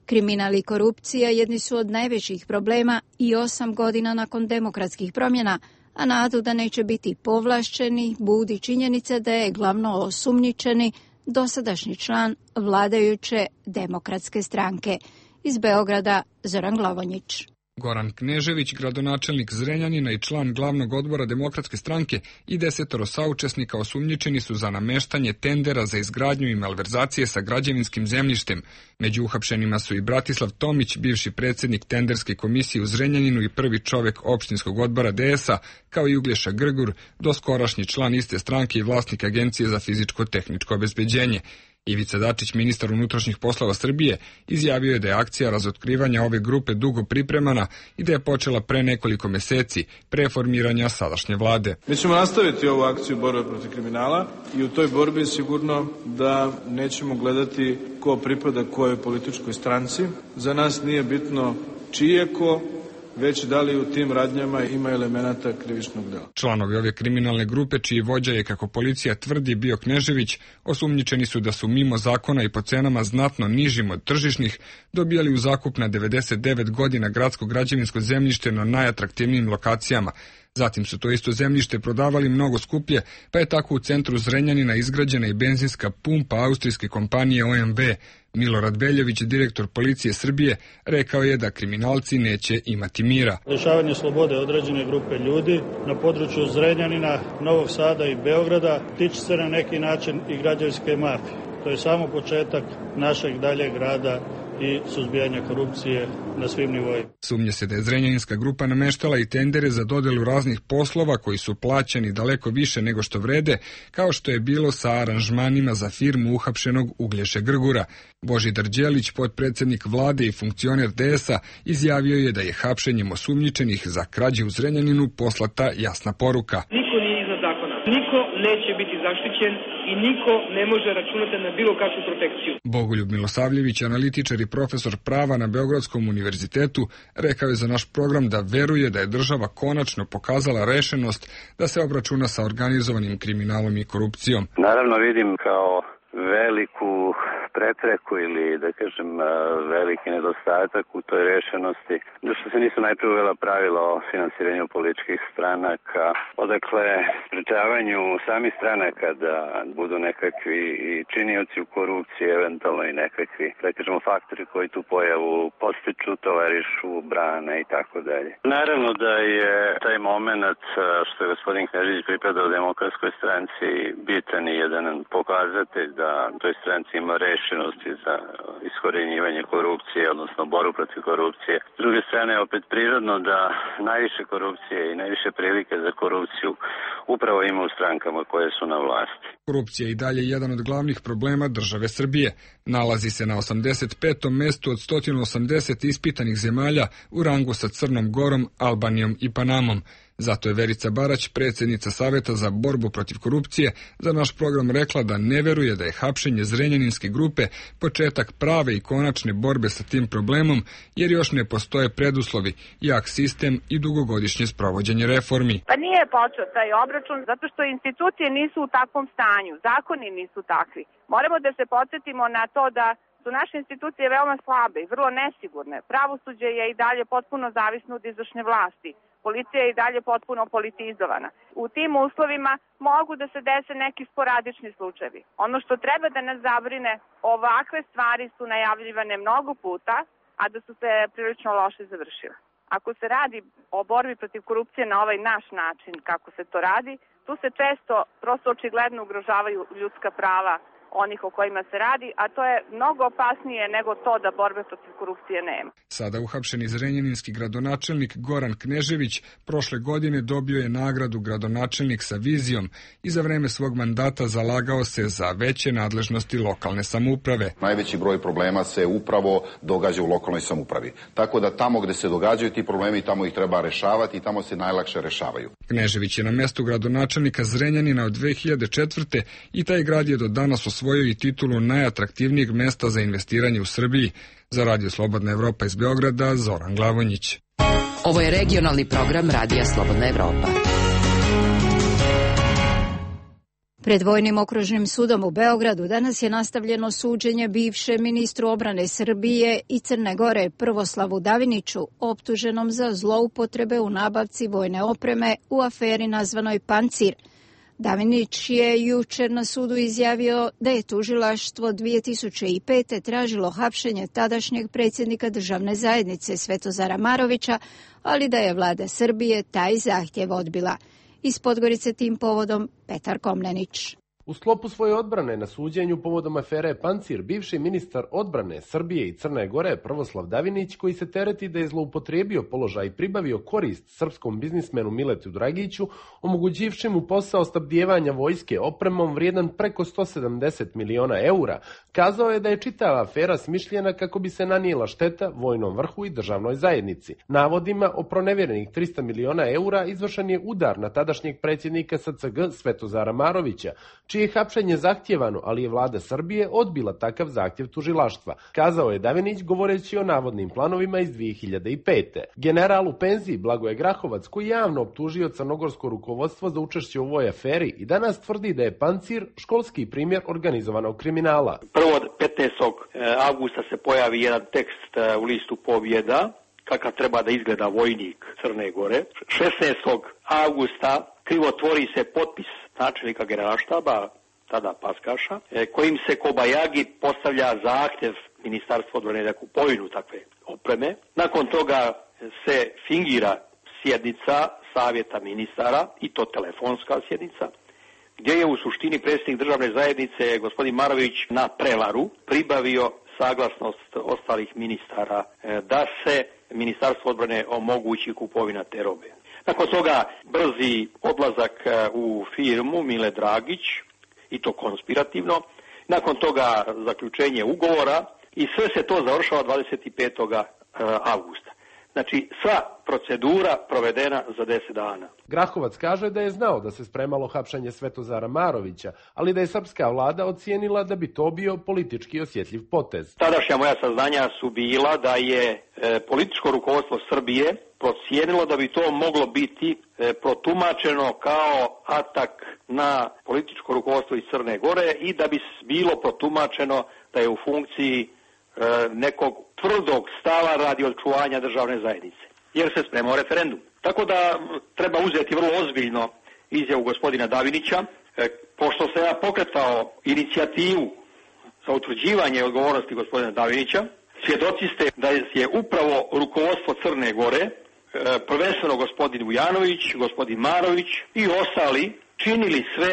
Kriminal i korupcija jedni su od najvećih problema i osam godina nakon demokratskih promjena, a nadu da neće biti povlašćeni budi činjenica da je glavno osumnjičeni dosadašnji član vladajuće demokratske stranke. Iz Beograda Zoran Glavonjić. Goran Knežević, gradonačelnik Zrenjanina i član glavnog odbora Demokratske stranke i desetoro saučesnika osumnjičeni su za nameštanje tendera za izgradnju i malverzacije sa građevinskim zemljištem. Među uhapšenima su i Bratislav Tomić, bivši predsjednik tenderske komisije u Zrenjaninu i prvi čovjek opštinskog odbora D S-a, kao i Uglješa Grgur, doskorašnji član iste stranke i vlasnik Agencije za fizičko-tehničko obezbeđenje. Ivica Dačić, ministar unutrašnjih poslova Srbije, izjavio je da je akcija razotkrivanja ove grupe dugo pripremana i da je počela pre nekoliko meseci, pre formiranja sadašnje vlade. Mi ćemo nastaviti ovu akciju borbe protiv kriminala i u toj borbi je sigurno da nećemo gledati ko pripada kojoj političkoj stranci. Za nas nije bitno čije ko, već da li u tim radnjama ima elemenata krivičnog dela. Članovi ove kriminalne grupe, čiji vođa je, kako policija tvrdi, bio Knežević, osumnjičeni su da su mimo zakona i po cenama znatno nižim od tržišnih dobijali u zakup na devedeset devet godina gradsko građevinsko zemljište na najatraktivnijim lokacijama. Zatim su to isto zemljište prodavali mnogo skuplje, pa je tako u centru Zrenjanina izgrađena i benzinska pumpa austrijske kompanije O M V. Milorad Veljović, direktor policije Srbije, rekao je da kriminalci neće imati mira. Lišavanje slobode određene grupe ljudi na području Zrenjanina, Novog Sada i Beograda tiče se na neki način i građevinske mafije. To je samo početak našeg daljeg rada i suzbijanja korupcije na svim nivoima. Sumnje se da je Zrenjaninska grupa nameštala i tendere za dodelu raznih poslova koji su plaćeni daleko više nego što vrede, kao što je bilo sa aranžmanima za firmu uhapšenog Uglješe Grgura. Božidar Đelić, potpredsjednik vlade i funkcioner D S A, izjavio je da je hapšenjem osumnjičenih za krađe u Zrenjaninu poslata jasna poruka. Niko nije iznad zakona, niko neće biti zaštićen i niko ne može računati na bilo kakvu protekciju. Bogoljub Milosavljević, analitičar i profesor prava na Beogradskom univerzitetu, rekao je za naš program da veruje da je država konačno pokazala rešenost da se obračuna sa organizovanim kriminalom i korupcijom. Naravno vidim kao veliku prepreku ili, da kažem, veliki nedostatak u toj rešenosti, da što se nisu najprije uvela pravila o finansiranju političkih stranaka, odakle sprečavanju samih stranaka da budu nekakvi i činioci u korupciji, eventualno i nekakvi, da kažemo, faktori koji tu pojavu postiču, tovarišu, brane i tako dalje. Naravno da je taj moment što je gospodin Knežević pripadao Demokratskoj stranci bitan i jedan pokazatelj da toj stranci ima rešenosti za iskorenjivanje korupcije, odnosno boru protiv korupcije. S druge strane, opet prirodno da najviše korupcije i najviše prilike za korupciju upravo ima u strankama koje su na vlasti. Korupcija je i dalje jedan od glavnih problema države Srbije. Nalazi se na osamdeset petom mestu od sto osamdeset ispitanih zemalja u rangu sa Crnom Gorom, Albanijom i Panamom. Zato je Verica Barać, predsjednica Saveta za borbu protiv korupcije, za naš program rekla da ne veruje da je hapšenje Zrenjaninske grupe početak prave i konačne borbe sa tim problemom, jer još ne postoje preduslovi, jak sistem i dugogodišnje sprovođenje reformi. Pa nije počeo taj obračun zato što institucije nisu u takvom stanju, zakoni nisu takvi. Moramo da se podsjetimo na to da su naše institucije veoma slabe i vrlo nesigurne. Pravosuđe je i dalje potpuno zavisno od izvršne vlasti. Policija je i dalje potpuno politizovana. U tim uslovima mogu da se dese neki sporadični slučajevi. Ono što treba da nas zabrine, ovakve stvari su najavljivane mnogo puta, a da su se prilično loše završile. Ako se radi o borbi protiv korupcije na ovaj naš način, kako se to radi, tu se često prosto očigledno ugrožavaju ljudska prava onih o kojima se radi, a to je mnogo opasnije nego to da borbe protiv korupcije nema. Sada uhapšeni zrenjaninski gradonačelnik Goran Knežević prošle godine dobio je nagradu gradonačelnik sa vizijom i za vreme svog mandata zalagao se za veće nadležnosti lokalne samouprave. Najveći broj problema se upravo događa u lokalnoj samoupravi. Tako da tamo gde se događaju ti problemi, tamo ih treba rešavati i tamo se najlakše rešavaju. Knežević je na mestu gradonačelnika Zrenjanina od dve hiljade četvrte. i taj grad je do danas osvojio i titulu najatraktivnijeg mesta za investiranje u Srbiji. Za Radio Slobodna Evropa iz Beograda, Zoran Glavonjić. Ovo je regionalni program Radija Slobodna Evropa. Pred Vojnim okružnim sudom u Beogradu danas je nastavljeno suđenje bivšem ministru obrane Srbije i Crne Gore Prvoslavu Daviniću, optuženom za zloupotrebe u nabavci vojne opreme u aferi nazvanoj Pancir. Davinić je jučer na sudu izjavio da je tužilaštvo dvije tisuće pete. tražilo hapšenje tadašnjeg predsjednika državne zajednice Svetozara Marovića, ali da je vlada Srbije taj zahtjev odbila. Iz Podgorice tim povodom Petar Komnenić. U sklopu svoje odbrane na suđenju povodom afere Pancir, bivši ministar odbrane Srbije i Crne Gore Prvoslav Davinić, koji se tereti da je zloupotrijebio položaj i pribavio korist srpskom biznismenu Miletu Dragiću, omogućivši mu posao snabdijevanja vojske opremom vrijedan preko sto sedamdeset miliona eura, kazao je da je čitava afera smišljena kako bi se nanijela šteta vojnom vrhu i državnoj zajednici. Navodima o pronevjerenih trista miliona eura izvršen je udar na tadašnjeg predsjednika S C G Svetozara Marovića, čije je hapšenje zahtjevano, ali je vlada Srbije odbila takav zahtjev tužilaštva, kazao je Davinić govoreći o navodnim planovima iz dvije hiljade pete. General u penziji Blagoje Grahovac, koji javno optužio crnogorsko rukovodstvo za učešće u ovoj aferi, i danas tvrdi da je Pancir školski primjer organizovanog kriminala. Prvo petnaestog avgusta se pojavi jedan tekst u listu Pobjeda, kakav treba da izgleda vojnik Crne Gore. šesnaestog avgusta krivotvori se potpis načelnika generalštaba, tada Paskaša, kojim se Kobajagi postavlja zahtjev Ministarstva odbrane za kupovinu takve opreme. Nakon toga se fingira sjednica Savjeta ministara, i to telefonska sjednica, gdje je u suštini predsjednik državne zajednice gospodin Marović na prevaru pribavio sa saglasnost ostalih ministara da se Ministarstvo odbrane omogući kupovina te robe. Nakon toga brzi odlazak u firmu Mile Dragić, i to konspirativno. Nakon toga zaključenje ugovora i sve se to završava dvadeset petog avgusta. Znači, sva procedura provedena za deset dana. Grahovac kaže da je znao da se spremalo hapšenje Svetozara Marovića, ali da je srpska vlada ocijenila da bi to bio politički osjetljiv potez. Tadašnja moja saznanja su bila da je e, političko rukovodstvo Srbije procijenilo da bi to moglo biti e, protumačeno kao atak na političko rukovodstvo iz Crne Gore i da bi bilo protumačeno da je u funkciji e, nekog tvrdog stava radi očuvanja državne zajednice, jer se spremao referendum. Tako da treba uzeti vrlo ozbiljno izjavu gospodina Davinića, e, pošto se ja pokretao inicijativu za utvrđivanje odgovornosti gospodina Davinića, svjedoci ste da je upravo rukovodstvo Crne Gore, e, prvenstveno gospodin Vujanović, gospodin Marović i ostali činili sve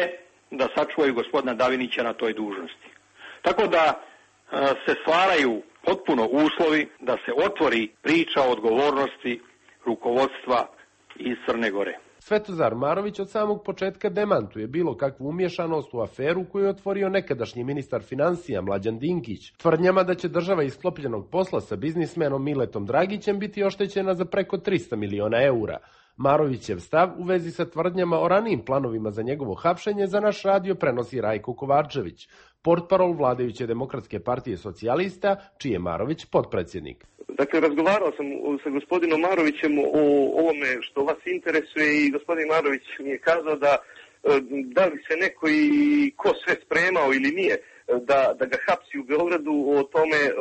da sačuvaju gospodina Davinića na toj dužnosti. Tako da e, se stvaraju potpuno uslovi da se otvori priča o odgovornosti rukovodstva iz Crne Gore. Svetozar Marović od samog početka demantuje bilo kakvu umješanost u aferu koju je otvorio nekadašnji ministar financija Mlađan Dinkić, tvrdnjama da će država iz sklopljenog posla sa biznismenom Miletom Dragićem biti oštećena za preko trista miliona eura. Marovićev stav u vezi sa tvrdnjama o ranijim planovima za njegovo hapšenje za naš radio prenosi Rajko Kovačević, portparol vladajuće Demokratske partije socijalista, čiji je Marović potpredsjednik. Dakle, razgovarao sam sa gospodinom Marovićem o ovome što vas interesuje i gospodin Marović mi je kazao da da li se neko i ko sve spremao ili nije da, da ga hapsi u Beogradu, o tome e,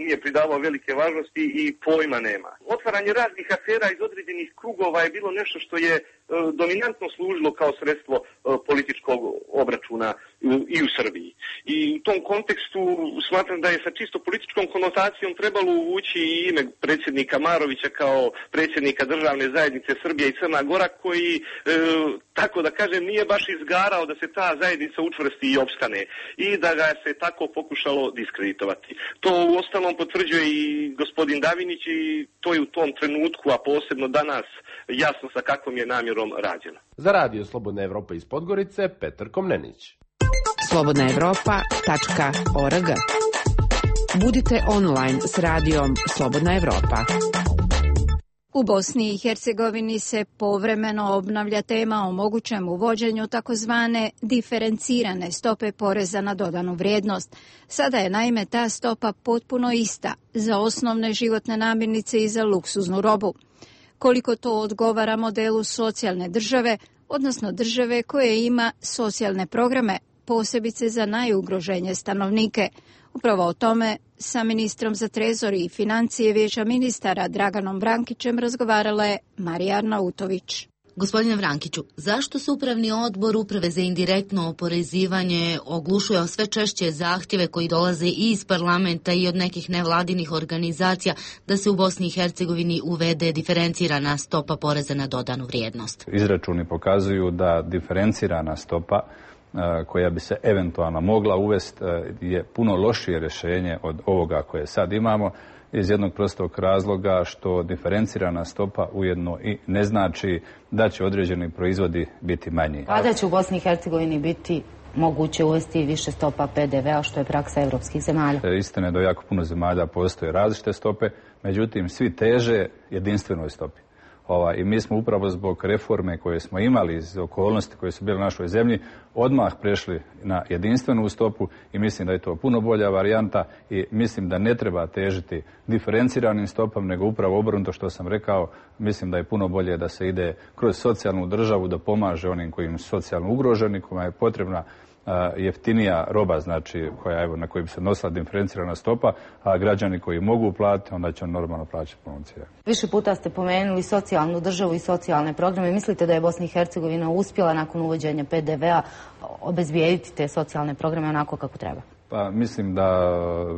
nije pridavao velike važnosti i pojma nema. Otvaranje raznih afera iz određenih krugova je bilo nešto što je e, dominantno služilo kao sredstvo e, političkog obračuna i u Srbiji. I u tom kontekstu smatram da je sa čisto političkom konotacijom trebalo uvući i ime predsjednika Marovića kao predsjednika državne zajednice Srbija i Crna Gora, koji, e, tako da kažem, nije baš izgarao da se ta zajednica učvrsti i opstane i da ga se tako pokušalo diskreditovati. To u ostalom potvrđuje i gospodin Davinić i to je u tom trenutku, a posebno danas, jasno sa kakvom je namjerom rađeno. Za radio Slobodna Evropa iz Podgorice, Petar Komnenić. slobodna evropa tačka org. Budite online s radijom Slobodna Evropa. U Bosni i Hercegovini se povremeno obnavlja tema o mogućem uvođenju takozvane diferencirane stope poreza na dodanu vrijednost. Sada je naime ta stopa potpuno ista za osnovne životne namirnice i za luksuznu robu. Koliko to odgovara modelu socijalne države, odnosno države koja ima socijalne programe, posebice za najugroženije stanovnike. Upravo o tome sa ministrom za trezor i financije Vijeća ministara Draganom Vrankićem razgovarala je Marija Arnautović. Gospodine Vrankiću, zašto se Upravni odbor Uprave za indirektno oporezivanje oglušuje o sve češće zahtjeve koji dolaze i iz parlamenta i od nekih nevladinih organizacija da se u Bosni i Hercegovini uvede diferencirana stopa poreza na dodanu vrijednost? Izračuni pokazuju da diferencirana stopa koja bi se eventualno mogla uvesti je puno lošije rješenje od ovoga koje sad imamo, iz jednog prostog razloga što diferencirana stopa ujedno i ne znači da će određeni proizvodi biti manji. Kada će u Bosni i Hercegovini biti moguće uvesti više stopa P D V-a, što je praksa evropskih zemalja? Istina je da jako puno zemalja postoje različite stope, međutim svi teže jedinstvenoj stopi. Ova, I mi smo upravo zbog reforme koje smo imali, iz okolnosti koje su bile u našoj zemlji, odmah prešli na jedinstvenu stopu i mislim da je to puno bolja varijanta i mislim da ne treba težiti diferenciranim stopama, nego upravo obrnuto što sam rekao, mislim da je puno bolje da se ide kroz socijalnu državu, da pomaže onim kojim su socijalno ugroženi, kojima je potrebna jeftinija roba, znači koja, evo, na kojoj bi se nosila diferencirana stopa, a građani koji mogu platiti, onda će on normalno plaćati puno cijenu. Više puta ste pomenuli socijalnu državu i socijalne programe. Mislite da je Bosna i Hercegovina uspjela nakon uvođenja P D V-a obezbijediti te socijalne programe onako kako treba? Pa mislim da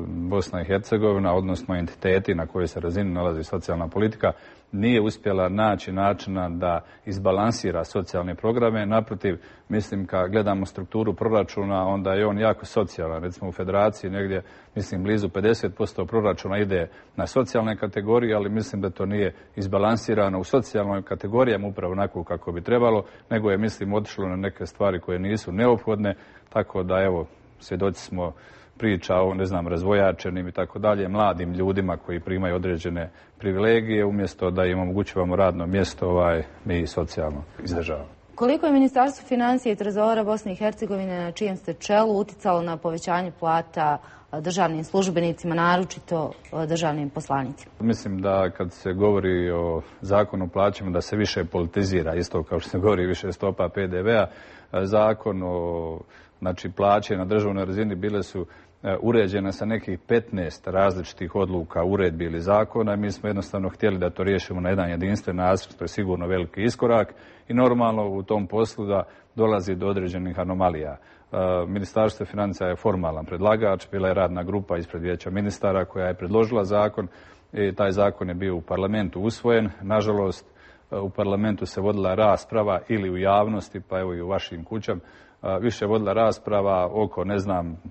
Bosna i Hercegovina, odnosno entiteti na kojoj se razini nalazi socijalna politika, nije uspjela naći načina da izbalansira socijalne programe. Naprotiv, mislim kad gledamo strukturu proračuna, onda je on jako socijalan. Recimo u Federaciji negdje, mislim, blizu pedeset posto proračuna ide na socijalne kategorije, ali mislim da to nije izbalansirano u socijalnoj kategorijama upravo onako kako bi trebalo, nego je, mislim, otišlo na neke stvari koje nisu neophodne, tako da, evo, svjedoci smo priča o, ne znam, razvojačenim i tako dalje, mladim ljudima koji primaju određene privilegije, umjesto da im omogućavamo radno mjesto, ovaj, mi socijalno izdržavamo. Koliko je Ministarstvo financija i trezora Bosne i Hercegovine, na čijem ste čelu, uticalo na povećanje plata državnim službenicima, naročito državnim poslanicima? Mislim da kad se govori o zakonu o plaćama, da se više politizira, isto kao što se govori više stopa P D V-a. Zakon o, znači, plaće na državnoj razini bile su uređena sa nekih petnaest različitih odluka, uredbi ili zakona. Mi smo jednostavno htjeli da to riješimo na jedan jedinstven nacrt, to je sigurno veliki iskorak i normalno u tom poslu da dolazi do određenih anomalija. Ministarstvo financija je formalan predlagač, bila je radna grupa ispred Vijeća ministara koja je predložila zakon i taj zakon je bio u parlamentu usvojen. Nažalost, u parlamentu se vodila rasprava ili u javnosti, pa evo i u vašim kućama, više vodila rasprava oko, ne znam,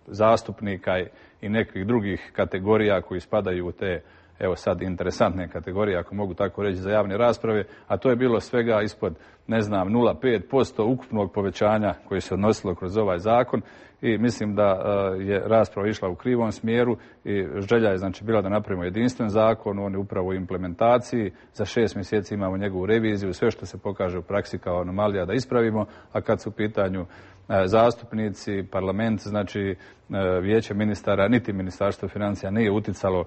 zastupnika i nekih drugih kategorija koji spadaju u te, evo sad, interesantne kategorije, ako mogu tako reći, za javne rasprave, a to je bilo svega ispod, ne znam, nula zarez pet posto ukupnog povećanja koje se odnosilo kroz ovaj zakon i mislim da je rasprava išla u krivom smjeru i želja je, znači, bila da napravimo jedinstven zakon, on je upravo u implementaciji, za šest mjeseci imamo njegovu reviziju, sve što se pokaže u praksi kao anomalija da ispravimo, a kad su u pitanju zastupnici, parlament, znači Vijeće ministara, niti Ministarstvo financija nije uticalo,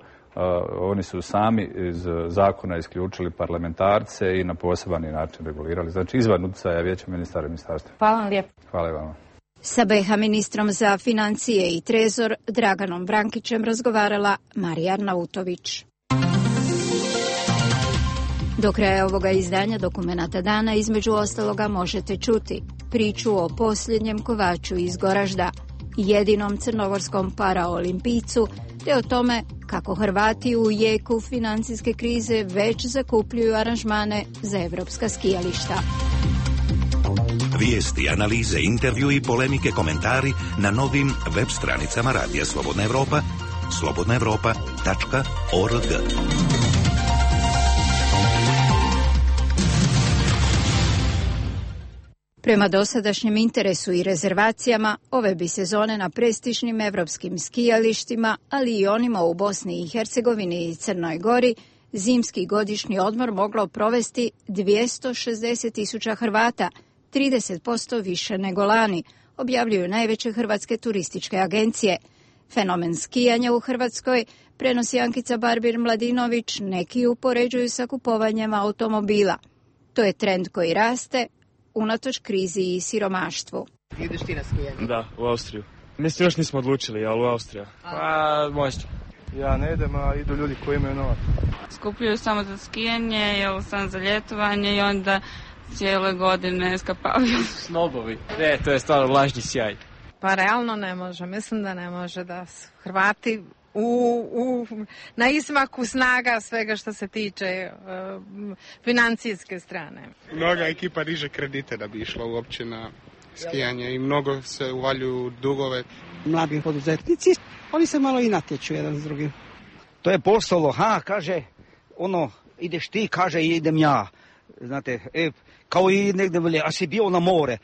oni su sami iz zakona isključili parlamentarce i na poseban način regulirali. Znači izvan utjecaja Vijeća ministara i ministarstva. Hvala vam lijepo. Hvala i vama. Sa B iH ministrom za financije i trezor Draganom Vrankićem razgovarala Marija Arnautović. Do kraja ovoga izdanja Dokumenata dana između ostaloga možete čuti priču o posljednjem kovaču iz Goražda, jedinom crnogorskom paraolimpijcu, te o tome kako Hrvati u jeku financijske krize već zakupljuju aranžmane za evropska skijališta. Vijesti, analize, intervju i polemike, komentari na novim web stranicama Radija Slobodna Evropa, slobodna evropa tačka org. Prema dosadašnjem interesu i rezervacijama, ove bi sezone na prestižnim evropskim skijalištima, ali i onima u Bosni i Hercegovini i Crnoj Gori, zimski godišnji odmor moglo provesti dvjesto šezdeset tisuća Hrvata, trideset posto više nego lani, objavljuju najveće hrvatske turističke agencije. Fenomen skijanja u Hrvatskoj prenosi Ankica Barbir-Mladinović, neki upoređuju sa kupovanjem automobila. To je trend koji raste, unatoč krizi i siromaštvu. Ideš ti na skijanje? Da, u Austriju. Mislim, još nismo odlučili, ali u Austriju. Pa, možda. Ja ne idem, a idu ljudi koji imaju novac. Skupljaju samo za skijanje, jel sam za ljetovanje i onda cijele godine skapavaju. Snobovi. Ne, to je stvarno lažni sjaj. Pa realno ne može, mislim da ne može da su Hrvati u, u, na izmaku snaga svega što se tiče uh, financijske strane. Mnoga ekipa diže kredite da bi išla uopće na skijanje i mnogo se uvaljuju dugove. Mladi poduzetnici, oni se malo i natječu jedan s drugim. To je postalo, ha, kaže, ono, ideš ti, kaže, idem ja. Znate, e, kao i negdje veli, a si bio na more,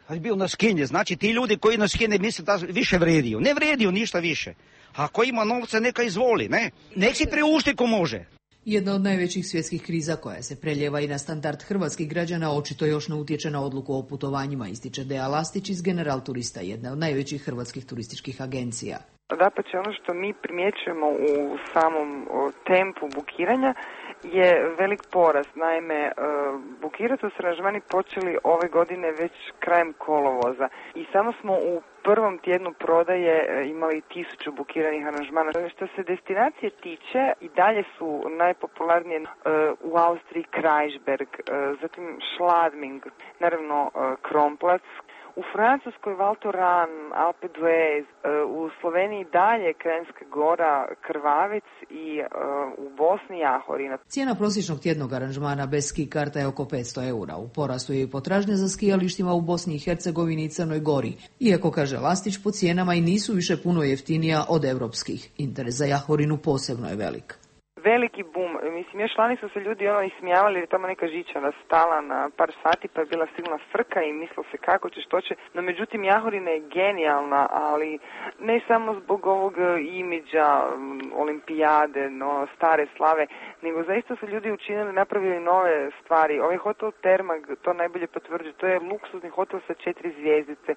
a si bio na skinje. Znači, ti ljudi koji na skinje misle da više vrediju. Ne vrediju ništa više. Ako ima novca, neka izvoli, ne? Nek si priušti ko može. Jedna od najvećih svjetskih kriza koja se preljeva i na standard hrvatskih građana očito još ne utječe na odluku o putovanjima, ističe Deja Lastić iz General Turista, jedne od najvećih hrvatskih turističkih agencija. Dapače, ono što mi primjećujemo u samom tempu bukiranja je velik porast. Naime, bukirati su aranžmani počeli ove godine već krajem kolovoza i samo smo u prvom tjednu prodaje imali tisuću bukiranih aranžmana. Što se destinacije tiče, i dalje su najpopularnije u Austriji Kreuzberg, zatim Schladming, naravno Kronplatz. U Francuskoj Val Thorens, Alpe d'Huez, u Sloveniji dalje Kranjska Gora, Krvavec i uh, u Bosni Jahorina. Cijena prosječnog tjednog aranžmana bez ski karta je oko petsto eura. U porastu je i potražnja za skijalištima u Bosni i Hercegovini i Crnoj Gori. Iako, kaže Lastić, po cijenama i nisu više puno jeftinija od europskih. Interes za Jahorinu posebno je velik. Veliki bum. Mislim, još lani su se ljudi ono ismijavali jer je tamo neka žičara stala na par sati pa je bila silna frka i mislilo se kako će, što će. No, međutim, Jahorina je genijalna, ali ne samo zbog ovog imidža olimpijade, no, stare slave, nego zaista su ljudi učinili, napravili nove stvari. Ovaj hotel Termag to najbolje potvrđuje. To je luksuzni hotel sa četiri zvijezdice.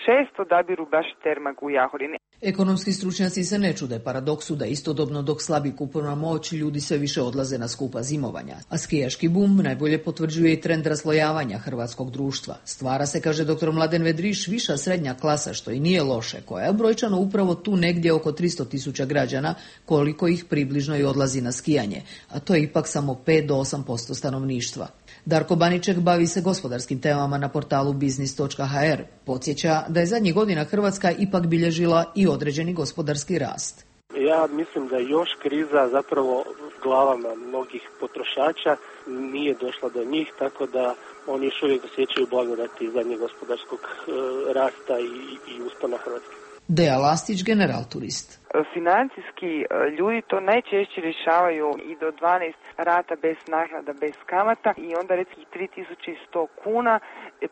Često odabiru baš Termag u Jahorini. Ekonomski stručnjaci se ne čude paradoksu da istodobno dok slabi kupovna moć, ljudi sve više odlaze na skupa zimovanja. A skijaški bum najbolje potvrđuje i trend raslojavanja hrvatskog društva. Stvara se, kaže doktor Mladen Vedriš, viša srednja klasa, što i nije loše, koja je brojčano upravo tu negdje oko tristo tisuća građana, koliko ih približno i odlazi na skijanje, a to je ipak samo pet do osam posto stanovništva. Darko Baniček bavi se gospodarskim temama na portalu biznis točka ha er. Podsjeća da je zadnjih godina Hrvatska ipak bilježila i određeni gospodarski rast. Ja mislim da još kriza zapravo glavama mnogih potrošača nije došla do njih, tako da oni još uvijek osjećaju blagodati zadnjeg gospodarskog e, rasta i, i uspona Hrvatske. Deja Lastić, general turist. Financijski ljudi to najčešće rješavaju i do dvanaest rata bez naknada, bez kamata i onda recimo tri tisuće sto kuna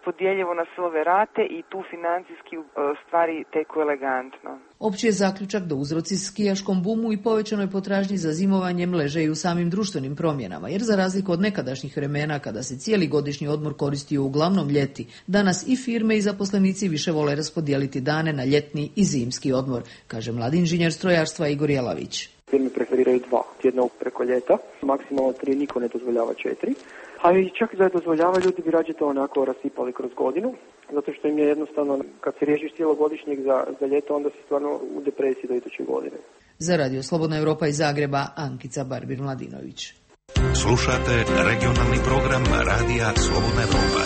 podijeljivo na sve ove rate i tu financijski stvari teku elegantno. Opći je zaključak da uzroci skijaškom bumu i povećanoj potražnji za zimovanjem leže i u samim društvenim promjenama, jer za razliku od nekadašnjih vremena kada se cijeli godišnji odmor koristio uglavnom ljeti, danas i firme i zaposlenici više vole raspodijeliti dane na ljetni i zimski odmor, kaže mladi inženjer strojarstva Igor Jelavić. Firme preferiraju dva tjedna preko ljeta, maksimalno tri, niko ne dozvoljava četiri. A i čak da je dozvoljava, ljudi bi rađe to onako rasipali kroz godinu, zato što im je jednostavno, kad se riješiš cijelogodišnjeg za, za ljeto, onda si stvarno u depresiji do iduće godine. Za Radio Slobodna Europa iz Zagreba, Ankica Barbir-Mladinović. Slušate regionalni program Radija Slobodna Europa.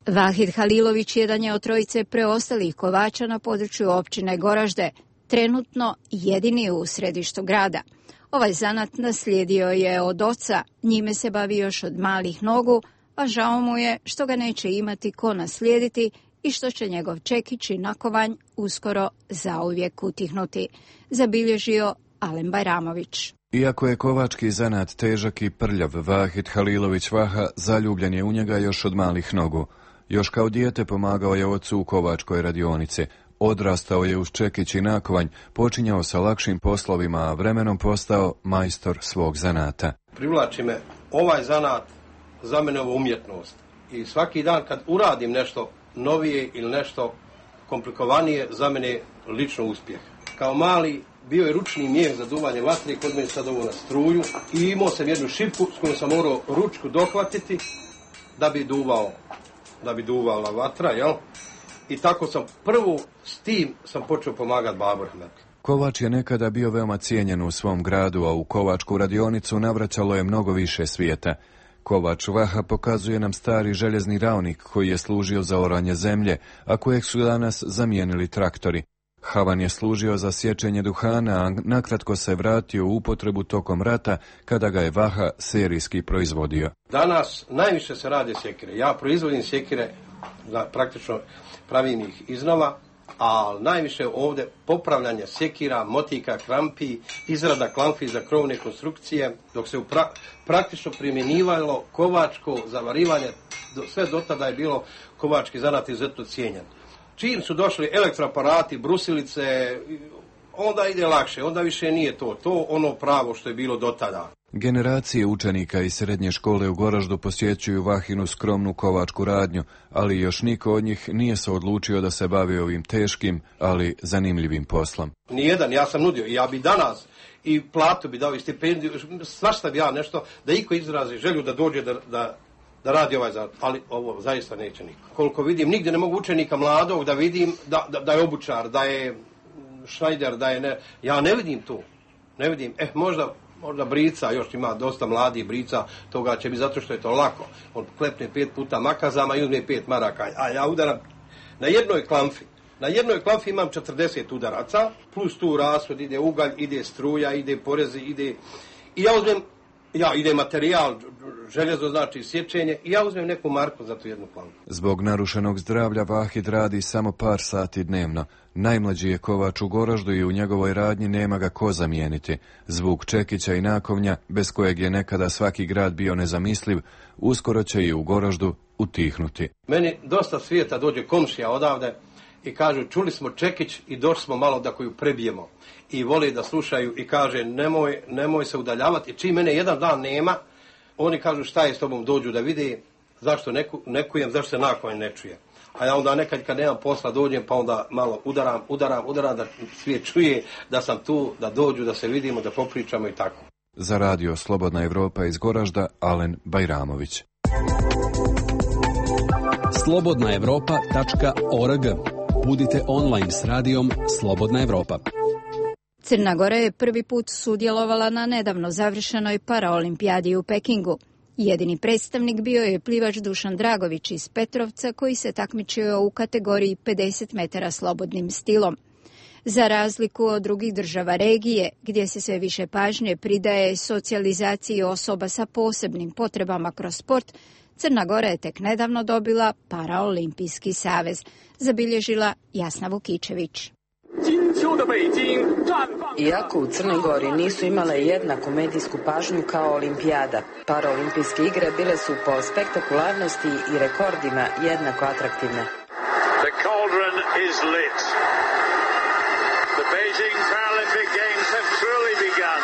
Vahid Halilović jedan je od trojice preostalih kovača na području općine Goražde, trenutno jedini u središtu grada. Ovaj zanat naslijedio je od oca, njime se bavi još od malih nogu, a žao mu je što ga neće imati ko naslijediti i što će njegov čekić i nakovanj uskoro zauvijek utihnuti, zabilježio Alen Bajramović. Iako je kovački zanat težak i prljav, Vahid Halilović Vaha zaljubljen je u njega još od malih nogu. Još kao dijete pomagao je ocu u kovačkoj radionici. Odrastao je uz čekić i nakovanj, počinjao sa lakšim poslovima, a vremenom postao majstor svog zanata. Privlači me ovaj zanat, za mene ovo umjetnost. I svaki dan kad uradim nešto novije ili nešto komplikovanije, za mene lično uspjeh. Kao mali bio je ručni mijeh za duvanje vatre, kod mene sad ovo na struju i imao sam jednu šipku s kojom sam morao ručku dohvatiti da bi duvao, da bi duvala vatra, jel? I tako sam prvo s tim sam počeo pomagati babu Rahmetli. Kovač je nekada bio veoma cijenjen u svom gradu, a u kovačku radionicu navraćalo je mnogo više svijeta. Kovač Vaha pokazuje nam stari željezni ravnik koji je služio za oranje zemlje, a kojeg su danas zamijenili traktori. Havan je služio za sječenje duhana, a nakratko se vratio u upotrebu tokom rata kada ga je Vaha serijski proizvodio. Danas najviše se rade sjekire. Ja proizvodim sjekire, praktično pravim ih iznova, a najviše ovdje popravljanje sjekira, motika, krampi, izrada klampi za krovne konstrukcije, dok se pra, praktično primjenjivalo kovačko zavarivanje, do, sve do tada je bilo kovački zanat izuzetno cijenjen. Čim su došli elektroaparati, brusilice, onda ide lakše, onda više nije to, to ono pravo što je bilo do tada. Generacije učenika iz srednje škole u Goraždu posjećuju Vahinu skromnu kovačku radnju, ali još niko od njih nije se odlučio da se bavi ovim teškim, ali zanimljivim poslom. Nijedan, ja sam nudio, ja bi danas i platu bi dao i stipendiju, svašta bi ja nešto, da iko izrazi želju da dođe da, da, da radi ovaj zanat, ali ovo zaista neće niko. Koliko vidim, nigdje ne mogu učenika mladog da vidim da, da, da je obučar, da je šnajder, da je ne, ja ne vidim to. Ne vidim, eh, možda možda brica, još ima dosta mladih brica, toga će biti zato što je to lako. On klepne pet puta makazama i uzme pet maraka, a ja udaram na jednoj klamfi. Na jednoj klamfi imam četrdeset udaraca, plus tu rashod, ide ugalj, ide struja, ide porezi, ide... I ja uzmem, ja, ide materijal, željezo znači sječenje, i ja uzmem neku marku za tu jednu klamfu. Zbog narušenog zdravlja Vahid radi samo par sati dnevno. Najmlađi je kovač u Goraždu i u njegovoj radnji nema ga ko zamijeniti. Zvuk čekića i nakovnja, bez kojeg je nekada svaki grad bio nezamisliv, uskoro će i u Goraždu utihnuti. Meni dosta svijeta dođe komšija odavde i kažu čuli smo čekić i došli smo malo da koju prebijemo. I vole da slušaju i kaže nemoj, nemoj se udaljavati. Čim mene jedan dan nema, oni kažu šta je s tobom, dođu da vide zašto neku, nekujem, zašto se nakonj ne čuje. A ja onda nekad kad nemam posla dođem pa onda malo udaram, udaram, udaram da svijet čuje da sam tu, da dođu, da se vidimo, da popričamo i tako. Za radio Slobodna Evropa iz Goražda, Alen Bajramović. slobodna evropa tačka org. Budite online s radijom Slobodna Evropa. Crna Gora je prvi put sudjelovala na nedavno završenoj paraolimpijadi u Pekingu. Jedini predstavnik bio je plivač Dušan Dragović iz Petrovca koji se takmičio u kategoriji pedeset metara slobodnim stilom. Za razliku od drugih država regije, gdje se sve više pažnje pridaje socijalizaciji osoba sa posebnim potrebama kroz sport, Crna Gora je tek nedavno dobila Paraolimpijski savez, zabilježila Jasna Vukičević. Iako u Crnoj Gori nisu imale jednaku medijsku pažnju kao olimpijada, paraolimpijske igre bile su po spektakularnosti i rekordima jednako atraktivne. The cauldron is lit. The Beijing Paralympic Games have truly begun.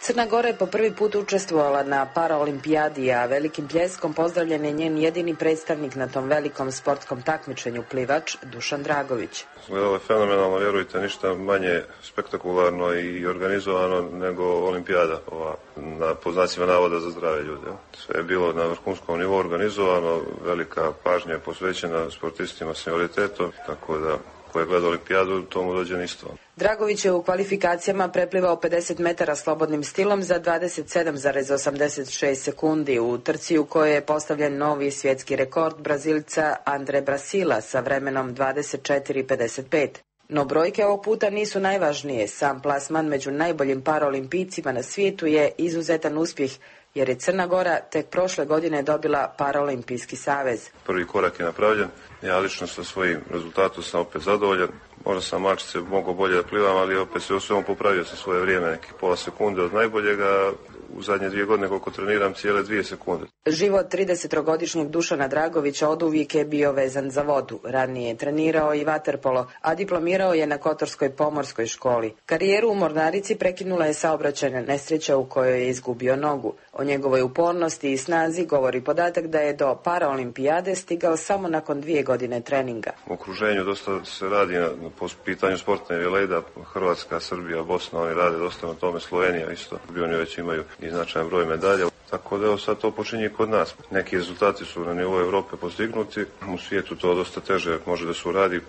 Crna Gora je po prvi put učestvovala na paraolimpijadi, a velikim pljeskom pozdravljen je njen jedini predstavnik na tom velikom sportskom takmičenju, plivač Dušan Dragović. Ovo je fenomenalno, vjerujte, ništa manje spektakularno i organizovano nego olimpijada, ova, na poznacima navoda za zdrave ljude. Sve je bilo na vrhunskom nivou organizovano, velika pažnja je posvećena sportistima s invaliditetom, tako da ko je gledao olimpijadu, tomu dođe nisto. Dragović je u kvalifikacijama preplivao pedeset metara slobodnim stilom za dvadeset sedam zarez osamdeset šest sekundi u trci u kojoj je postavljen novi svjetski rekord Brazilca Andre Brasila sa vremenom dvadeset četiri pedeset pet. No brojke ovog puta nisu najvažnije. Sam plasman među najboljim paraolimpijcima na svijetu je izuzetan uspjeh, jer je Crna Gora tek prošle godine dobila Paraolimpijski savez. Prvi korak je napravljen, ja lično sa svojim rezultatom sam opet zadovoljan. Možda sam malčice mogao bolje da plivam, ali opet se u svemu popravio sa svoje vrijeme, nekih pola sekunde od najboljega. U zadnje dvije godine koliko treniram cijele dvije sekunde. Život tridesetogodišnjeg Dušana Dragovića oduvijek je bio vezan za vodu. Ranije je trenirao i vaterpolo, a diplomirao je na Kotorskoj pomorskoj školi. Karijeru u mornarici prekinula je saobraćajna nesreća u kojoj je izgubio nogu. O njegovoj upornosti i snazi govori podatak da je do paraolimpijade stigao samo nakon dvije godine treninga. U okruženju dosta se radi na, po pitanju sportne velejda, Hrvatska, Srbija, Bosna, oni rade dosta na tome, Slovenija isto. Oni već imaju i značajan broj medalja. Tako da evo sad to počinje kod nas. Neki rezultati su na nivou Europe postignuti, u svijetu to dosta teže može da se uradi,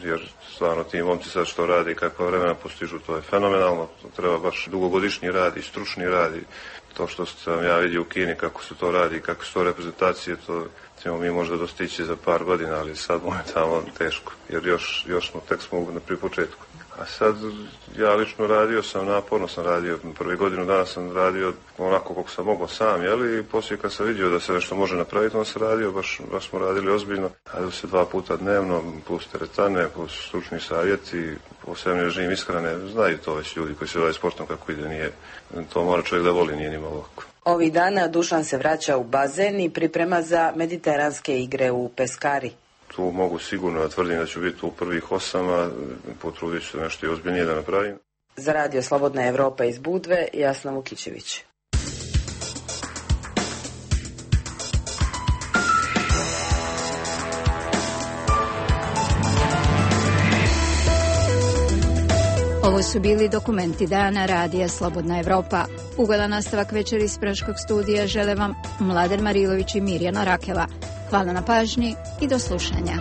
jer stvarno ti momci sad što radi i kakva vremena postižu, to je fenomenalno. To treba baš dugogodišnji rad i stručni rad. To što sam ja vidio u Kini kako se to radi i kako su to reprezentacije, to ćemo mi možda dostići za par godina, ali sad momentalno teško, jer još, još smo, tek smo na pri početku. A sad, ja lično radio sam, naporno sam radio, prvi godinu dana sam radio onako kako sam mogao sam, jeli, i poslije kad sam vidio da se nešto može napraviti, on se radio, baš, baš smo radili ozbiljno. Radio se dva puta dnevno, plus teretane, plus stručni savjeti, posebni režim ishrane, znaju to već ljudi koji se bave sportom kako ide, nije, to mora čovjek da voli, nije nimalo lako. Ovih dana Dušan se vraća u bazen i priprema za mediteranske igre u Peskari. Tu mogu sigurno da tvrdim da ću biti u prvih osama, potrudit ću se nešto i ozbiljnije da napravim. Za radio Slobodna Evropa iz Budve, Jasna Vukičević. Ovo su bili dokumenti dana radija Slobodna Evropa. Ugodan nastavak večeri iz Praškog studija žele vam Mladen Marilović i Mirjana Rakela. Hvala na pažnji i do slušanja.